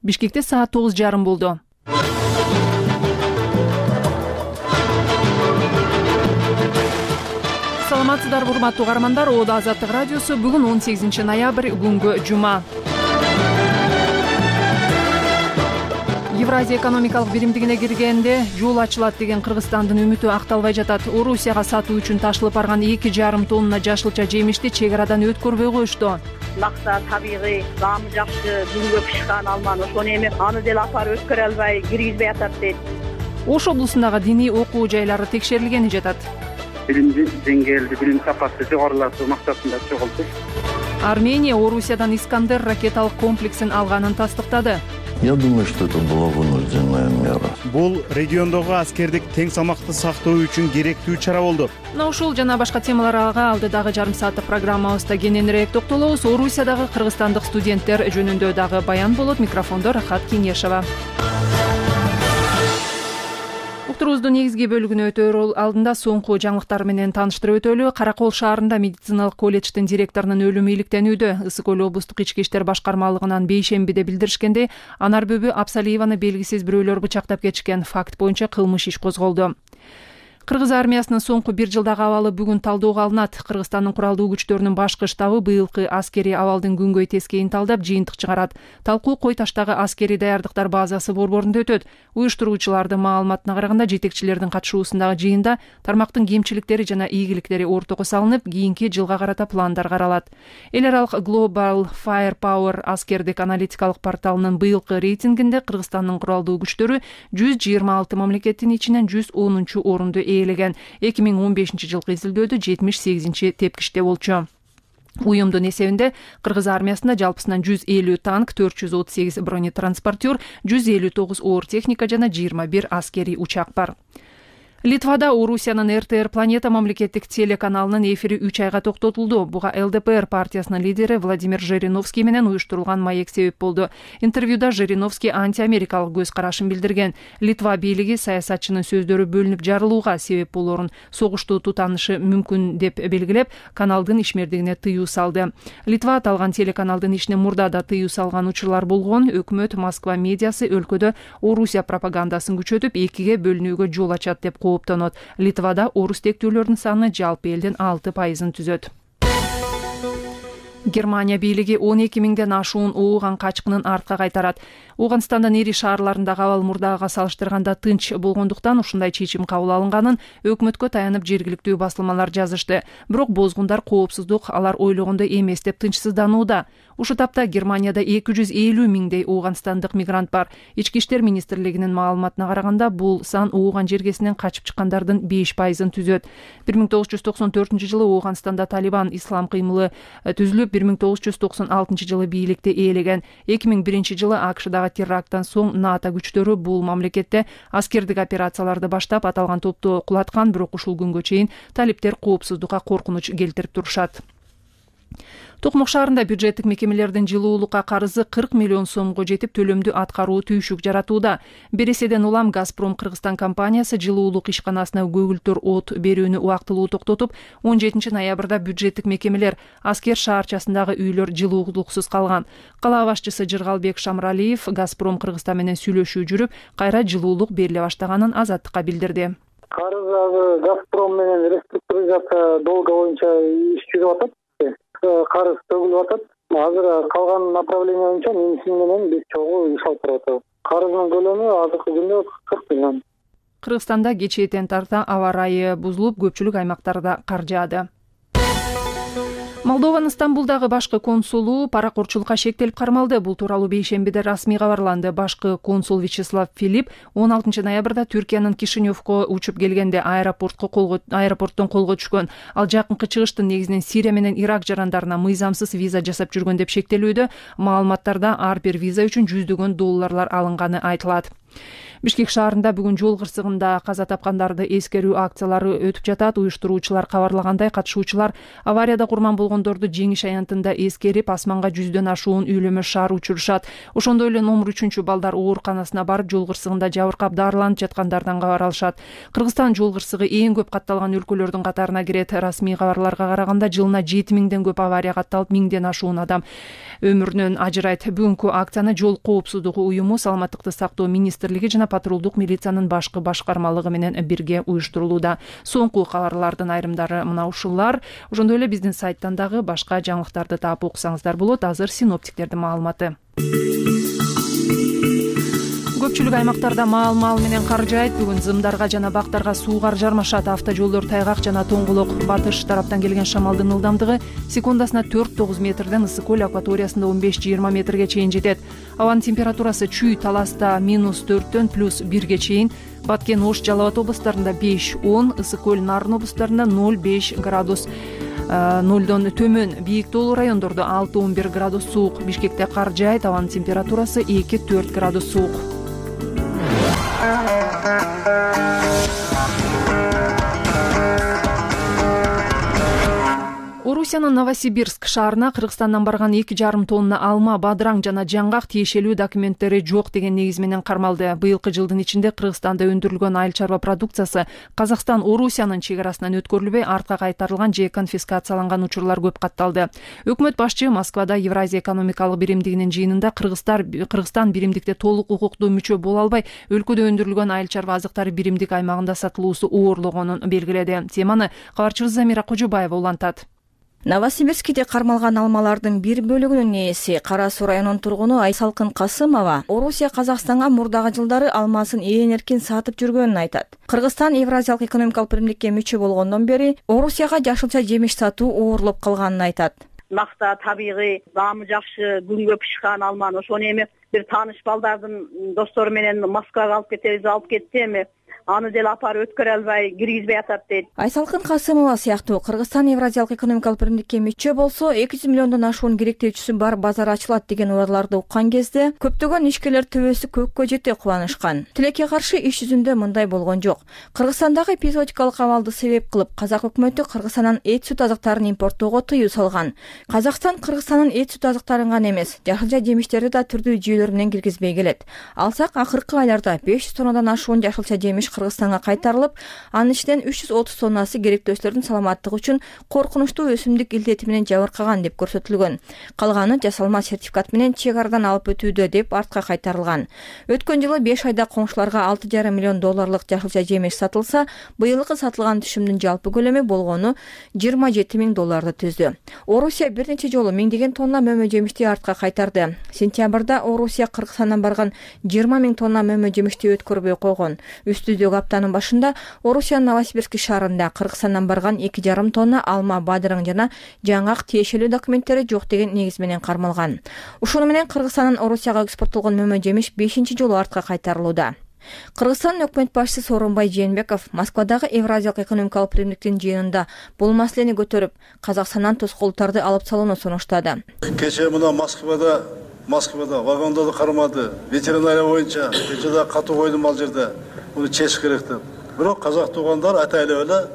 Бишкекте саат 9:30 болду. Саламатсыздарбы, урматтуу каармандар. Ода Азаттык радиосу. Бүгүн 18 ноябрь, күнгө жума. Евразия экономикалык биримдигине киргенде жол ачылат деген Кыргызстандын үмүтү акталбай жатат. Орусияга сатуу үчүн ташылып барган 2,5 тонна жашылча жемишти чек арадан өткөрбөй коюшту. Макса табигый, даамы жакшы, күнгө пышкан алманы, ошону эми аны деле апарып өткөрө албай киргизбей атат дейт. Ош облусундагы диний окуу жайлары текшерилгени жатат. Билимди деңгээлди, билим сапасы жогорулатуу максатында чогултуп. Армения Орусиядан Искандер ракеталык комплексин алганын тастыктады. Я думаю, что это была вынужденная мера. Бул региондогу аскердик тең салмакты сактоо үчүн керектүү чара болду. Ушул жана башка темаларга алдыдагы жарым сааттык программабызда кененирээк токтолобуз. Орусиядагы кыргызстандык студенттер жөнүндө дагы баян болот. Микрофондо Рахат Кеңешова. Уктуруубуздун негизги бөлүгүнө өтөр алдында соңку жаңылыктар менен тааныштырып өтөлү. Каракол шаарында медициналык колледждин директорунун өлүмү иликтенүүдө. Ысык Көл облустук ички иштер башкармалыгынан бейшембиде билдиришкендей, Анарбөбү Абсалиеваны белгисиз бирөөлөр бычактап кетишкен факт боюнча кылмыш иш козголду. Кыргыз армиясынын соңку 1 жылдагы абалы бүгүн талдөөгө алынат. Кыргызстандын куралдуу күчтөрүнүн башкы штабы быйылкы аскерий абалдын күнгөй тескейин талдап, жыйынтык чыгарат. Талкуу Кой таштагы аскерий даярдыктар базасы борборунда өтөт. Уюштуруучулардын маалыматына караганда, жетекчилердин катышуусундагы жыйында тармактын кемчиликтери жана ийгиликтери ортого салынып, кийинки жылга карата пландар каралат. Эл аралык Global Firepower аскердик аналитикалык порталынын быйылкы рейтингинде Кыргызстандын куралдуу күчтөрү 126 мамлекеттин ичинен 110 орунду ээлеген. 2015 жылкы изилдөөдө 78 тепкичте болчу. Уюмдун эсебинде Кыргыз армиясында жалпысынан 150 танк, 438 бронетранспортер, 159 оор техника жана 21 аскерий учак бар. Литвада Орусиянын РТР Планета мамлекеттик телеканалынын эфири 3 айга токтотулду. Буга ЛДПР партиясынын лидери Владимир Жириновский менен уюштурулган маек себеп болду. Интервьюда Жириновский антиамерикалык көз карашын билдирген. Литва бийлиги саясатчынын сөздөрү бөлүнүп жарылууга себеп болорун, согушту тутанышы мүмкүн деп белгилеп, каналдын ишмердигине тыюу салды. Литва аталган телеканалдын ишине мурда да тыюу салган учурлар болгон. Өкмөт Москва медиасы өлкөдө Орусия пропагандасын күчөтүп, экиге бөлүнүүгө жол ачат деп кооптонот. Литвада орус тектүүлөрдүн саны жалпы элдин 6% түзөт. Германия бийлиги 12 миңден ашуун ууган качкынын артка кайтарат. Ооганстандын ири шаарларындагы абал мурдага салыштырганда тынч болгондуктан ушундай чечим кабыл алынганын өкмөткө таянып жергиликтүү басылмалар жазышты. Бирок бозгундар коопсуздук алар ойлогондой эмес деп тынчсызданууда. Ушу тапта Германияда 250 миңдей ооганстандык мигрант бар. Ички иштер министрлигинин маалыматына караганда, бул сан ууган жергесинен качып чыккандардын 5% түзөт. 1994 жылы Ооганстанда Талибан ислам кыймылы түзүлүп, 1996 жылы бийликти ээлеген. 2001 жылы АКШдагы теракттан соң НАТО күчтөрү бул мамлекетте аскердик операцияларды баштап, аталган топту кулаткан, бирок ушул күнгө чейин талиптер коопсуздукка коркунуч келтирип турушат. Токмок шаарында бюджеттик мекемелердин жылуулукка карызы 40 миллион сомго жетип, төлөмдү аткаруу түйшүк жаратууда. Береседен улам Газпром Кыргызстан компаниясы жылуулук ишканасына көгүлтөр от берүүнү убактылуу токтотуп, 17 ноябрда бюджеттик мекемелер Аскер шаарчасындагы үйлөр жылуулуксуз калган. Кала башчысы Жыргалбек Шамралиев Газпром Кыргызстан менен сүйлөшүү жүрүп, кайра жылуулук бериле баштаганын Азаттыкка билдирди. Карыз Газпром менен реструктуризация долга боюнча иш жүрүп атат. Карыз төгүлүп атат. Азыр калган направление боюнча менсин менен биз чогуу иш алып баратабыз. Карыздын көлөмү азыркы күндө 40 миллион. Кыргызстанда кечээден тарта аба ырайы бузулуп, көпчүлүк аймактарда кар жаады. Молдованын Стамбулдагы башкы консулу паракорчулукка шектелип кармалды. Бул тууралуу бейшембиде расмий кабарланды. Башкы консул Вячеслав Филипп 16 ноябрда Түркиянын Кишиневко учуп келгенде аэропорттон колго түшкөн. Ал жакынкы чыгыштын негизинен Сирия менен Ирак жарандарына мыйзамсыз виза жасап жүргөн деп шектелүүдө. Маалыматтарда ар бир виза үчүн $100 алынганы айтылат. Бишкек шаарында бүгүн жол кырсыгында каза тапкандарды эскерүү акциялары өтүп жатат. Уюштуруучулар кабарлагандай, катышуучулар аварияда курман болгондорду жеңиш аянтында эскерип, асманга 100дөн ашуун үйлөмө шаар учурушат. Ошондой эле номер 3 балдар ооруканасына барып, жол кырсыгында жабыркап дарыланып жаткандардан кабар алышат. Кыргызстан жол кырсыгы эң көп катталган өлкөлөрдүн катарына кирет. Расмий кабарларга караганда, жылына 7000ден көп авария катталып, 1000ден ашуун адам өмүрүнөн ажырайт. Бүгүнкү акцияны Жол коопсуздугу уюму, Саламаттыкты сактоо министрлиги жана патрулдук милициянын башкы башкармалыгы менен бирге уюштурулууда. Соңку кабарлардын айрымдары мына ушулар. Ошондой эле биздин сайттан дагы башка жаңылыктарды таап окусаңыздар болот. Азыр синоптиктердин маалыматы. Көпчүлүк аймактарда маал менен кар жаайт. Бүгүн зымдарга жана бактарга суугар жармашат. Автожолдор тайгак жана тоңголок. Батыш тараптан келген шамалдын ылдамдыгы секундасына 4-9 метрден, ысык көл акваториясында 15-20 метрге чейин жетет. Абанын температурасы Чүй, Таласта -4дөн +1ге чейин, Баткен, Ош, Жалал Абад областарында 5-10, ысык көл, Нарын областарында 0-5 градус. 0дон төмөн. Бийик тоолуу райондордо 6-11 градус суук. Бишкекте кар жаайт. Абанын температурасы 2-4 градус суук. Орусиянын Новосибирск шаарына Кыргызстандан барган 2,5 тонна алма, бадыраң жана жаңгак тиешелүү документтери жок деген негиз менен кармалды. Быйылкы жылдын ичинде Кыргызстанда өндүрүлгөн айыл чарба продукциясы Казакстан Орусиянын чек арасынан өткөрүлбөй, артка кайтарылган же конфискацияланган учурлар көп катталды. Өкмөт башчы Москвада Евразия экономикалык биримдигинин жыйынында Кыргызстан биримдикте толук укуктуу мүчө боло албай, өлкөдө өндүрүлгөн айыл чарба азыктары биримдик аймагында сатылуусу оорлогонун белгиледи. Теманы кабарчыбыз Замира Кожобаева улантат. Новосибирскиде кармалган алмалардын бир бөлүгүнүн ээси Кара Суу районунун тургуну Айсалкын Касымова Орусия Казакстанга мурдагы жылдары алмасын ээн эркин сатып жүргөнүн айтат. Кыргызстан Евразиялык экономикалык биримдикке мүчө болгондон бери Орусияга жашылча жемиш сатуу оорлоп калганын айтат. Макта табигый, даамы жакшы, күнгө пышкан алманы ошону эми бир тааныш балдардын достору менен Москвага алып кетебиз, алып кетти эми. Аны деле апарып өткөрө албай киргизбей атат дейт. Айсалкын Касымова сыяктуу Кыргызстан Евразиялык экономикалык биримдикке мүчө болсо 200 миллиондон ашуун керектөөчүсү бар базар ачылат деген убарларды уккан кезде көптөгөн ишкерлер төбөсү көккө жете кубанышкан. Тилекке каршы иш жүзүндө мындай болгон жок. Кыргызстандагы эпизодикалык абалды себеп кылып казак өкмөтү Кыргызстандан эт сүт азыктарын импорттоого тыюу салган. Казакстан Кыргызстандын эт сүт азыктарын гана эмес, жашылча жемиштерди да түрдүү жүйөлөр менен киргизбей келет. Алсак акыркы айларда 500 тоннадан ашуун жашылча жемиш Кыргызстанга кайтарылып, анын ичинен 330 тоннасы керектөөчүлөрдүн саламаттыгы үчүн коркунучтуу өсүмдүк илдети менен жабыркаган деп көрсөтүлгөн. Калганы жасалма сертификат менен чек арадан алып өтүүдө деп артка кайтарылган. Өткөн жылы 5 айда коңшуларга 6,5 миллион долларлык жашылча жемиш сатылса, быйылкы сатылган түшүмдүн жалпы көлөмү болгону 27 000 долларды түздү. Орусия бир нече жолу миңдеген тонна мөмө жемишти артка кайтарды. Сентябрда Орусия Кыргызстандан барган 20 000 тонна мөмө жемишти өткөрбөй койгон. Үстүдөгү аптанын башында Орусиянын Новосибирск шаарында Кыргызстандан барган 2,5 тонна алма, бадыраң жана жаңгак тиешелүү документтери жок деген негиз менен кармалган. Ушуну менен Кыргызстандан Орусияга экспорттолгон мөмө жемиш 5-чи жолу артка кайтарылууда. Кыргызстан өкмөт башчысы Сооронбай Жээнбеков Москвадагы Евразиялык экономикалык биримдиктин жыйынында бул маселени көтөрүп, Казакстандан тоскоолдуктарды алып салууну сунуштады. Кече мына Москвада вагондорду кармады, ветеринария боюнча кечеде катуу койдум ал жерде. Bunu çeşik gerekti. Bırak Kazak tuğanlar atayla öyle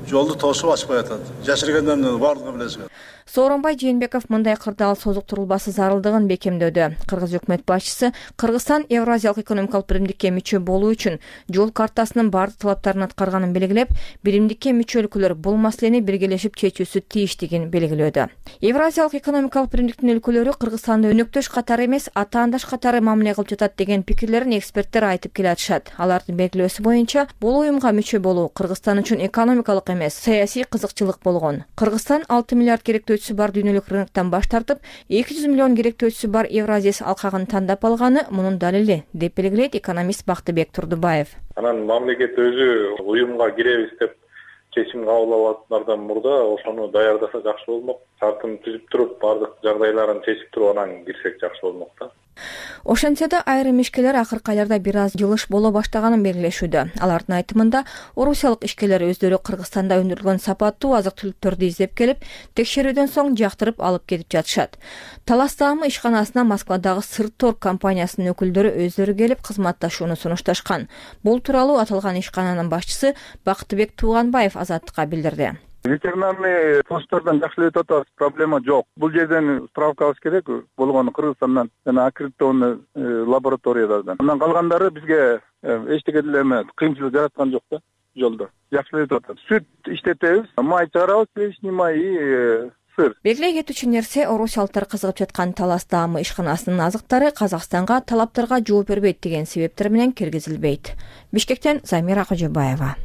жолду тосуп ачпай атат. Жашыргандардын баардыгы билесиңер. Сооронбай Жээнбеков мындай кырдаал созуктурулбасы зарылдыгын бекемдөдү. Кыргыз өкмөт башчысы Кыргызстан Евразиялык экономикалык биримдикке мүчө болуу үчүн жол картасынын баардык талаптарын аткарганын белгилеп, биримдикке мүчө өлкөлөр бул маселени биргелешип чечүүсү тийиштигин белгилөөдү. Евразиялык экономикалык биримдиктин өлкөлөрү Кыргызстанды өнөктөш катары эмес, атаандаш катары мамиле кылып жатат деген пикирлерин эксперттер айтып келатышат. Алардын белгилөөсү боюнча, бул уюмга мүчө болуу Кыргызстан үчүн экономикалык эмес, саясий кызыкчылык болгон. Кыргызстан 6 миллиард керектөөчүсү бар дүйнөлүк рыноктон баш тартып, 200 миллион керектөөчүсү бар Евразия алкагын тандап алганы мунун далили, деп белгилейт экономист Бактыбек Турдубаев. Анан мамлекет өзү уюмга киребиз деп чечим кабыл алгандардан мурда ошону даярдаса жакшы болмок. Шартын түзүп туруп, бардык жагдайларын чечип туруп анан кирсек жакшы болмок да. Ошентсе да айрым ишкерлер акыркы айларда бир аз жылыш боло баштаганын белгилешүүдө. Алардын айтымында орусиялык ишкерлер өздөрү Кыргызстанда өндүрүлгөн сапаттуу азык-түлүктөрдү издеп келип, текшерүүдөн соң жактырып алып кетип жатышат. Талас Таамы ишканасына Москвадагы Сырторг компаниясынын өкүлдөрү өздөрү келип кызматташууну сунушташкан. Бул тууралуу аталган ишкананын башчысы Бактыбек Тууганбаев Азаттыкка билдирди. Ветеринарный посттордон жакшы эле өтүп атабыз, проблема жок. Бул жерден справка алыш керек болгону Кыргызстандан жана аккредитованный лабораториядан. Андан калгандары бизге эчтеке деле эме кыйынчылык жараткан жок да жолдо. Жакшы эле өтүп атат. Сүт иштетебиз, май чыгарабыз, сливочный май и сыр. Белгилей кетүүчү нерсе, орусиялыктар кызыгып жаткан Талас Таамы ишканасынын азыктары Казакстанга талаптарга жооп бербейт деген себептер менен киргизилбейт. Бишкектен Замира Кожобаева.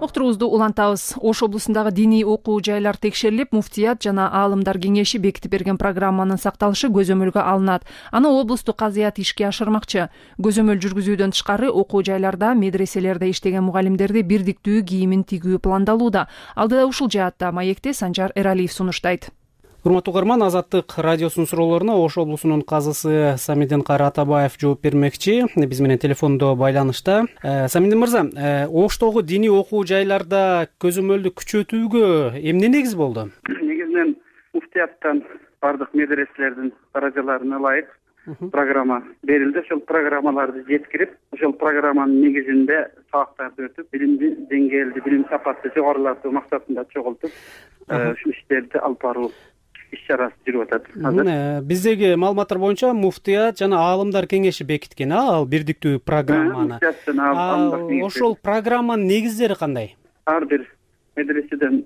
Уктуруубузду улантабыз. Ош облусундагы диний окуу жайлар текшерилип, муфтият жана аалымдар кеңеши бекитип берген программанын сакталышы көзөмөлгө алынат. Аны облустук казыят ишке ашырмакчы. Көзөмөл жүргүзүүдөн тышкары окуу жайларда, медреселерде иштеген мугалимдерди бирдиктүү кийимин тигүү пландалууда. Алдыда ушул жаатта маекти Санжар Эралиев сунуштайт. Урматтуу угарман, Азаттык радиосунун суроолоруна Ош облусунун казысы Самиден Атабаев жооп бермекчи. Биз менен телефондо байланышта. Самиден мырза, Оштогу диний окуу жайларда көзөмөлдү күчөтүүгө эмне негиз болду? Негизинен муфтияттан бардык медреселердин каражаларына ылайык программа берилди. Ошол программаларды жеткирип, ошол программанын негизинде сабактарды өтүп, билимди деңгээлди, билим сапатты жогорулатуу максатында чогултуп, ушул иштерди алып баруу иш-чарасы жүрүп атат. Биздеги маалыматтар боюнча муфтият жана аалымдар кеңеши бекиткен, ал бирдиктүү программаны. Ошол программанын негиздери кандай? Ар бир медреседен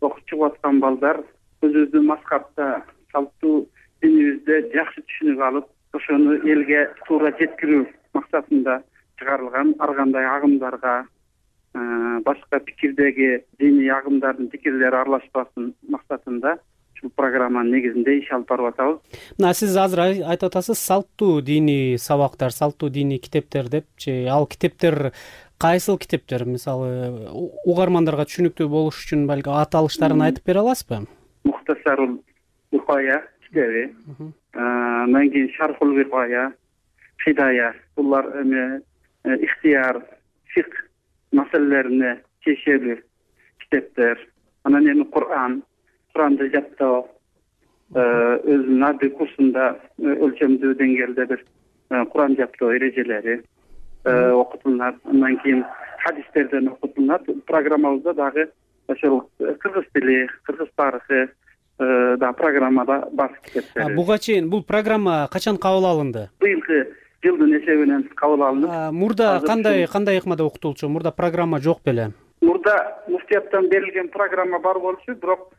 окуп чыгып аткан балдар өзүбүздүн маскатта, салттуу динибизде жакшы түшүнүк алып, ошону элге туура жеткирүү максатында чыгарылган. Ар кандай агымдарга, башка пикирдеги диний агымдардын пикирлери аралашпасын максатында ушул программанын негизинде иш алып барып атабыз. Мына сиз азыр айтып атасыз, салттуу диний сабактар, салттуу диний китептер депчи. Ал китептер кайсыл китептер? Мисалы, угармандарга түшүнүктүү болуш үчүн балки аталыштарын айтып бере аласызбы? Мухтасарул Вихая китеби, андан кийин Шархул Вихая, Хидая. Булар ихтияр, фик маселелерине чечелүү китептер. Анан эми Куранды жаттоо, өзүнүн адый курсунда өлчөмдүү деңгээлде бир Куран жаттоо эрежелери окутулат. Андан кийин хадистерден окутулат. Программабызда дагы ошол кыргыз тили, кыргыз тарыхы да программада бар китептер. Буга чейин бул программа качан кабыл алынды? Быйылкы жылдын эсебинен кабыл алынып. Мурда кандай ыкмада окутулчу? Мурда программа жок беле? Мурда муфтияттан берилген программа бар болчу, бирок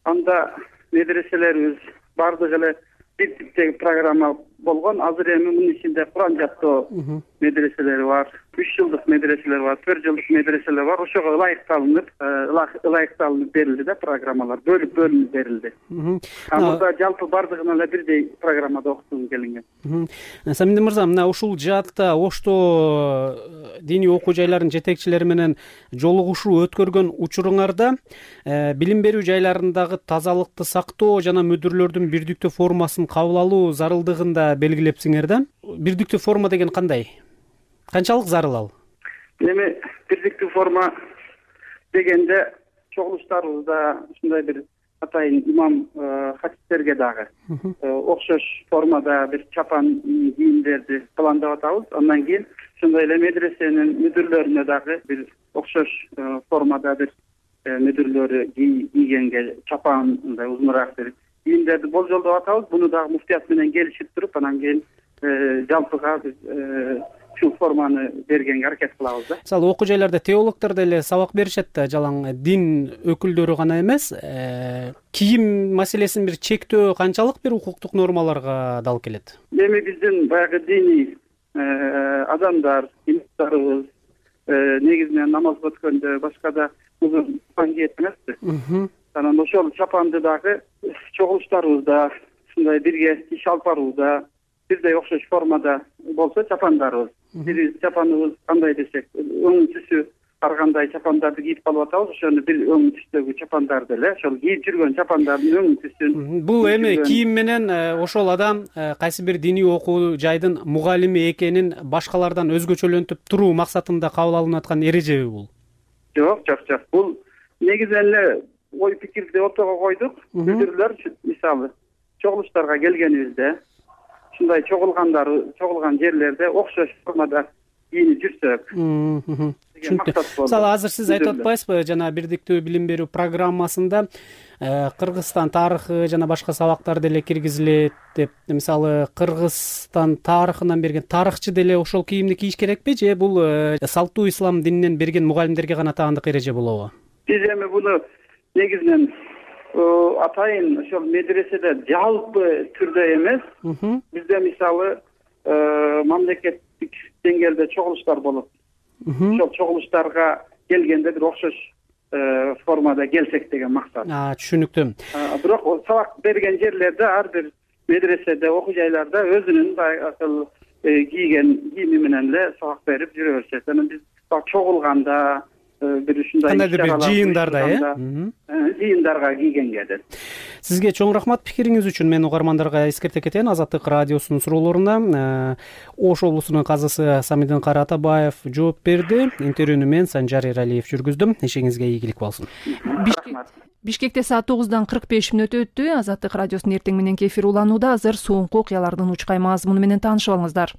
анда медреселерибиз бардыгы эле бир типтеги программа болгон. Азыр эми мунун ичинде Куран жаттоо медреселери бар, 3 жылдык медреселер бар, 4 жылдык медреселер бар. Ошого ылайыкталынып берилди да программалар, бөлүнүп берилди. Мурда жалпы бардыгына эле бирдей программада окутууну келинген. Самиден мырза, мына ушул жаатта Ошто диний окуу жайларынын жетекчилери менен жолугушуу өткөргөн учуруңарда билим берүү жайларындагы тазалыкты сактоо жана мүдүрлөрдүн бирдиктүү формасын кабыл алуу зарылдыгын да белгилепсиңер да. Бирдиктүү форма деген кандай? Канчалык зарыл ал? Эми бирдиктүү форма дегенде чогулуштарыбызда ушундай бир атайын имам хатистерге дагы окшош формада бир чапан кийимдерди пландап атабыз. Андан кийин ошондой эле медресенин мүдүрлөрүнө дагы бир окшош формада бир мүдүрлөрү кийгенге чапан мындай узунураак бир кийимдерди болжолдоп атабыз. Буну дагы муфтият менен келишип туруп, анан кийин жалпыга биз ушул форманы бергенге аракет кылабыз да. Мисалы, окуу жайларда теологдор деле сабак беришет да, жалаң дин өкүлдөрү гана эмес. Кийим маселесин бир чектөө канчалык бир укуктук нормаларга да алып келет? Эми биздин баягы диний адамдар, имамдарыбыз негизинен намаз өткөндө башкада узун чапан кийет эмеспи? Анан ошол чапанды дагы чогулуштарыбызда ушундай бирге иш алып барууда бирдей окшош формада болсо чапандарыбыз. Биз чапаныбыз кандай десек, өң түсү ар кандай чапандарды кийип калып атабыз. Ошону бир өң түстөгү чапандарды эле ошол кийип жүргөн чапандардын өң түсүн. Бул эми кийим менен ошол адам кайсы бир диний окуу жайдын мугалими экенин башкалардан өзгөчөлөнтүп туруу максатында кабыл алынып аткан эрежеби бул? Жок. Бул негизинен эле ой пикирди ортого койдук. Билдирүүлөр мисалы чогулуштарга келгенибизде ушундай чогулган жерлерде окшош формада кийинип жүрсөк. Түшүнүктүү. Мисалы азыр сиз айтып атпайсызбы, жана бирдиктүү билим берүү программасында Кыргызстан тарыхы жана башка сабактар деле киргизилет деп. Мисалы Кыргызстан тарыхынан берген тарыхчы деле ошол кийимди кийиш керекпи, же бул салттуу ислам дининен берген мугалимдерге гана таандык эреже болобу? Биз эми буну негизинен атайын ошол медреседе жалпы түрдө эмес, бизде мисалы мамлекеттик деңгээлде чогулуштар болот. Ошол чогулуштарга келгенде бир окшош формада келсек деген максат. Түшүнүктүү. Бирок сабак берген жерлерде ар бир медреседе, окуу жайларда өзүнүн баягы кийген кийими менен эле сабак берип жүрө беришет. Анан биз чогулганда бир ушундай кандайдыр бир жыйындарда жыйындарга кийгенге деп. Сизге чоң рахмат пикириңиз үчүн. Мен угармандарга эскерте кетейин. Азаттык радиосунун суроолоруна Ош облусунун казысы Самидин Кара Атабаев жооп берди. Интервьюну мен Санжар Эралиев жүргүздүм. Ишиңизге ийгилик болсун. Бишкекте саат 9:45 өтүптү. Азаттык радиосунун эртең мененки эфир уланууда. Азыр соңку окуялардын учкай мазмуну менен таанышып алыңыздар.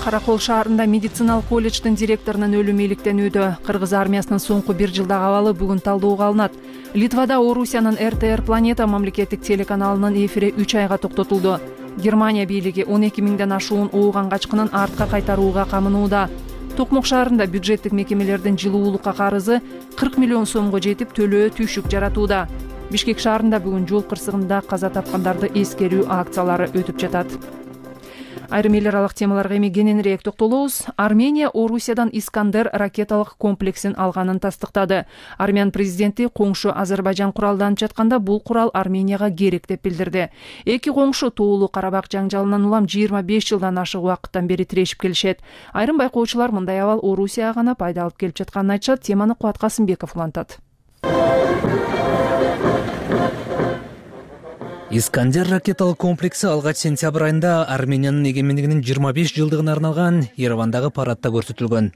Каракол шаарында медициналык колледждин директорунун өлүмү иликтенүүдө. Кыргыз армиясынын соңку бир жылдагы абалы бүгүн талдоого алынат. Литвада Орусиянын РТР Планета мамлекеттик телеканалынын эфири 3 айга токтотулду. Германия бийлиги 12 миңден ашуун ооган качкынын артка кайтарууга камынууда. Токмок шаарында бюджеттик мекемелердин жылуулукка карызы 40 миллион сомго жетип, төлөө түйшүк жаратууда. Бишкек шаарында бүгүн жол кырсыгында каза тапкандарды эскерүү акциялары өтүп жатат. Айрым эл аралык темаларга эми кененирээк токтолобуз. Армения Орусиядан Искандер ракеталык комплексин алганын тастыктады. Армян президенти коңшу Азербайжан куралданып жатканда бул курал Арменияга керек деп билдирди. Эки коңшу Тоолуу Карабак жаңжалынан улам 25 жылдан ашык убакыттан бери тирешип келишет. Айрым байкоочулар мындай абал Орусияга гана пайда алып келип жатканын айтышат. Теманы Кубат Касымбеков улантат. Искандер ракеталык комплекси алгач сентябрь айында Армениянын эгемендигинин 25 жылдыгына арналган Еревандагы парадта көрсөтүлгөн.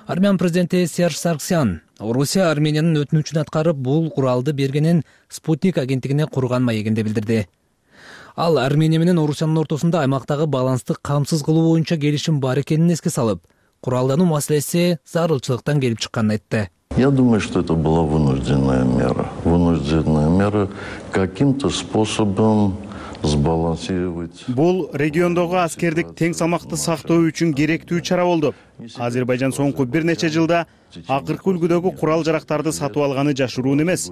Армян президенти Серж Сарксян Орусия Армениянын өтүнүчүн аткарып, бул куралды бергенин Спутник агенттигине курган маегинде билдирди. Ал Армения менен Орусиянын ортосунда аймактагы балансты камсыз кылуу боюнча келишим бар экенин эске салып, куралдануу маселеси зарылчылыктан келип чыкканын айтты. Я думаю, что это была вынужденная мера. Вынужденная мера каким-то способом сбалансировать. Бул региондогу аскердик тең салмакты сактоо үчүн керектүү чара болду. Азербайжан соңку бир нече жылда акыркы үлгүдөгү курал жарактарды сатып алганы жашыруун эмес.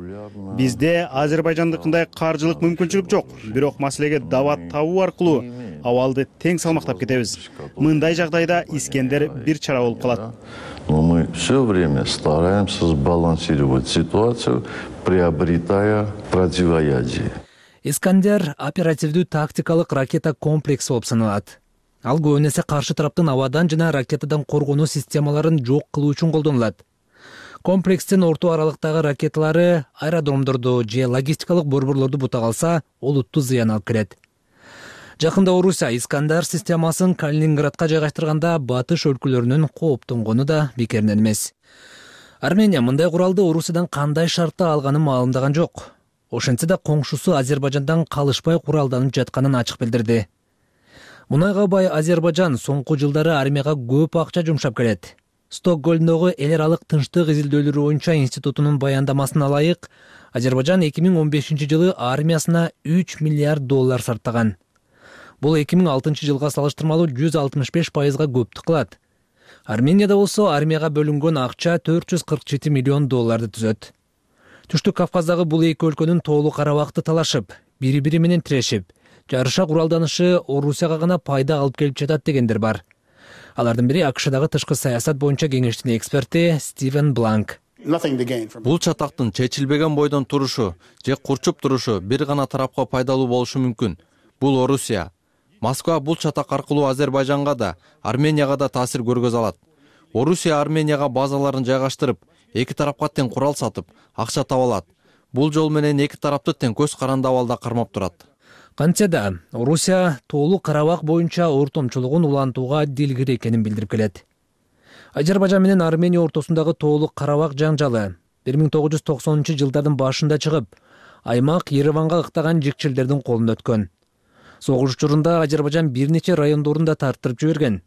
Бизде Азербайжандыкындай каржылык мүмкүнчүлүк жок. Бирок маселеге дабат табуу аркылуу абалды тең салмактап кетебиз. Мындай жагдайда Искандер бир чара болуп калат. Но мы все время стараемся сбалансировать ситуацию, приобретая противоядие. Искандер оперативдүү тактикалык ракета комплекси болуп саналат. Ал көбүнесе каршы тараптын абадан жана ракетадан коргонуу системаларын жок кылуу үчүн колдонулат. Комплекстин орто аралыктагы ракеталары аэродромдорду же логистикалык борборлорду бута калса, олуттуу зыян алып келет. Жакында Орусия Искандер системасын Калининградка жайгаштырганда батыш өлкөлөрүнүн кооптонгону да бекеринен эмес. Армения мындай куралды Орусиядан кандай шартта алганын маалымдаган жок. Ошентсе да коңшусу Азербайжандан калышпай куралданып жатканын ачык билдирди. Мунайга бай Азербайжан соңку жылдары армияга көп акча жумшап келет. Стокгольмдогу эл аралык тынчтык изилдөөлөрү боюнча институтунун баяндамасына ылайык, Азербайжан 2015 жылы армиясына 3 миллиард доллар сарптаган. Бул 2006 жылга салыштырмалуу 165%га көптүк кылат. Арменияда болсо армияга бөлүнгөн акча 447 миллион долларды түзөт. Түштүк Кавказдагы бул эки өлкөнүн Тоолуу Карабакты талашып, бири-бири менен тирешип, жарыша куралданышы Орусияга гана пайда алып келип жатат дегендер бар. Алардын бири АКШдагы тышкы саясат боюнча кеңештин эксперти Стивен Бланк. Бул чатактын чечилбеген бойдон турушу же курчуп турушу бир гана тарапка пайдалуу болушу мүмкүн. Бул Орусия. Москва бул чатак аркылуу Азербайжанга да, Арменияга да таасир көргөзө алат. Орусия Арменияга базаларын жайгаштырып, эки тарапка тең курал сатып, акча таба алат. Бул жол менен эки тарапты тең көз каранды абалда кармап турат. Кантсе да Орусия Тоолуу Карабак боюнча ортомчулугун улантууга дилгир экенин билдирип келет. Азербайжан менен Армения ортосундагы Тоолуу Карабак жаңжалы 1990-жылдардын башында чыгып, аймак Ереванга ыктаган жикчилдердин колунда өткөн. Согуш учурунда Азербайжан бир нече райондорунда тарттырып жиберген.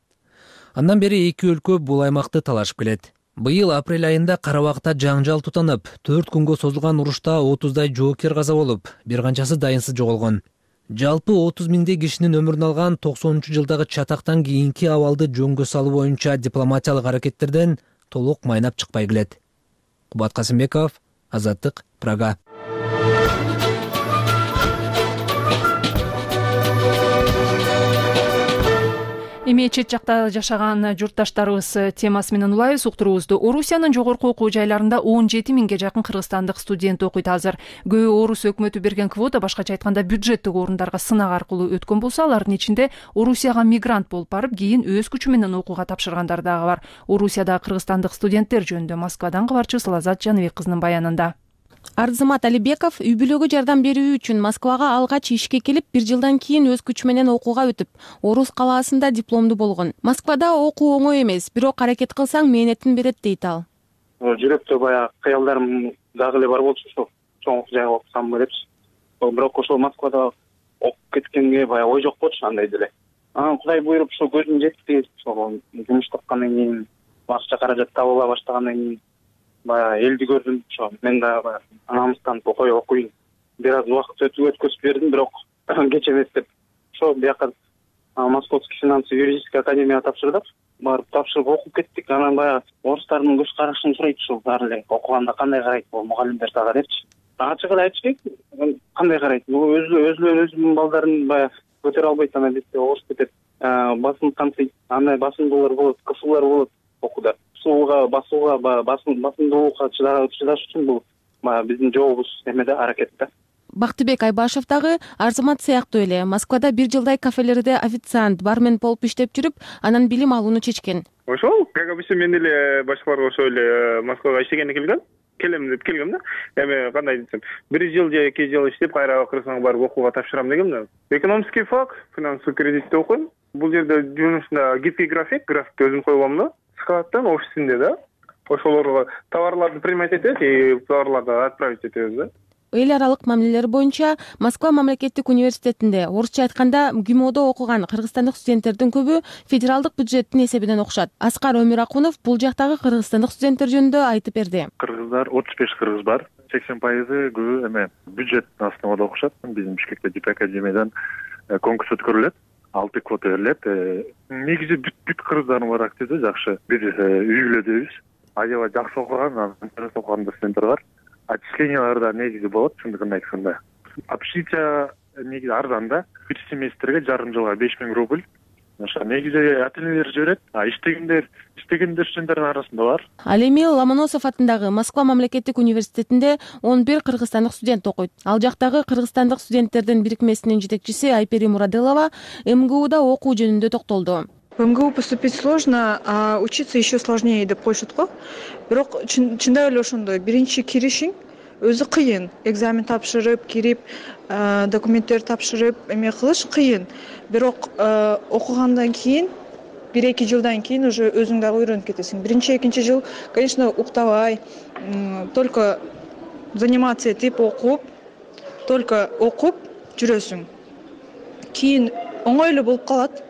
Андан бери эки өлкө бул аймакты талашып келет. Быйыл апрель айында Карабакта жаңжал тутанып, 4 күнгө созулган урушта 30дай жоокер каза болуп, бир канчасы дайынсыз жоголгон. Жалпы 30 миңдей кишинин өмүрүн алган 90-жылдагы чатактан кийинки абалды жөнгө салуу боюнча дипломатиялык аракеттерден толук майнап чыкпай келет. Кубат Касымбеков, Азаттык, Прага. Эми чет жакта жашаган журтташтарыбыз темасы менен улайбыз уктуруубузду. Орусиянын жогорку окуу жайларында 17 миңге жакын кыргызстандык студент окуйт азыр. Көбү Орус өкмөтү берген квота, башкача айтканда бюджеттик орундарга сынак аркылуу өткөн болсо, алардын ичинде Орусияга мигрант болуп барып, кийин өз күчү менен окууга тапшыргандар дагы бар. Орусияда кыргызстандык студенттер жөнүндө Москвадан кабарчыбыз Лазат Жаныбек кызынын баянында. Арзымат Алибеков үй бүлөгө жардам берүү үчүн Москвага алгач ишке келип, 1 жылдан кийин өз күчү менен окууга өтүп, Орус калаасында дипломду болгон. Москвада окуу оңой эмес, бирок аракет кылсаң мээнетин берет дейт ал. Жүрөктө баягы кыялдарым дагы эле бар болчу, ошо чоң жайга окусамбы депчи. Бирок ошол Москвада окуп кеткенге баягы ой жок болчу андай деле. Кудай буйруп ошо көзүм жетти, ошол жумуш тапкандан кийин, акча каражат табыла баштагандан кийин баягы элди көрдүм. Ошо мен дагы анамыздан окуйын. Бир аз убакыт өткөзүп бердим, бирок кеч эмес деп. Ошо бияка Московский финансово-юридический академияга тапшырдык. Барып тапшырып окуп кеттик. Анан баягы орустардын көз карашын сурайт, ушул баары эле окуганда кандай карайт бул мугалимдер дагы депчи. Ачык эле айтышпайт, кандай карайт. Бул өзүнүн балдарын баягы көтөрө албайт, анан бизде ооруп кетет. Басым камтыйт, андай басымдуулар болот, кысуулар болот окууда. Басууга, басымдуулукка чыдаш үчүн бул биздин жолубуз эмеде, аракетте. Бактыбек Айбашев дагы Арзымат сыяктуу эле Москвада 1 жылдай кафелерде официант, бармен болуп иштеп жүрүп, анан билим алууну чечкен. Ошол, как обычно, мен эле башкаларга ошол эле Москвага иштегенде келем деп келгем да. Эми кандай десем, 1 жыл же 2 жыл иштеп, кайра Кыргызстанга барып окууга тапшырам дегем да. Экономический фак, финансовый кредитте окуйм. Бул жерде жумушунда гибкий графикти өзүм койгом да. Складтан офисинде да. Ошолорго товарларды принимать этет и товарларды отправить этебиз да. Эл аралык мамилелер боюнча Москва мамлекеттик университетинде, орусча айтканда ГИМОдо окуган кыргызстандык студенттердин көбү федералдык бюджеттин эсебинен окушат. Аскар Өмүракунов бул жактагы кыргызстандык студенттер жөнүндө айтып берди. Кыргыздар 35 кыргыз бар. 80% көбү эме бюджеттин основада окушат. Биздин Бишкекте ДИП академиядан конкурс өткөрүлөт. 6 квота берилет. Негизи бүт кыргыздардын бар активде жакшы. Бир үй бүлөдөбүз. Аябай жакшы окуган, интерес окуган студенттер бар. Отчисленияларда негизи болот, чындыгын айтканда. Общежитие негизи арзан да. 1 семестрге жарым жылга 5000 рубль. Ошо негизи ата-энелер жиберет. Иштегендер студенттердин арасында бар. Ал эми Ломоносов атындагы Москва мамлекеттик университетинде 11 кыргызстандык студент окуйт. Ал жактагы кыргызстандык студенттердин бирикмесинин жетекчиси Айпери Мураделова МГУда окуу жөнүндө токтолду. В МГУ поступить сложно, а учиться еще сложнее деп коюшат го. Бирок чындап эле ошондой. Биринчи киришиң өзү кыйын. Экзамен тапшырып, кирип, документтер тапшырып, эме кылыш кыйын. Бирок окугандан кийин 1-2 жылдан кийин уже өзүң дагы үйрөнүп кетесиң. Биринчи, экинчи жыл, конечно, уктабай, только заниматься этип окуп, только окуп жүрөсүң. Кийин оңой эле болуп калат.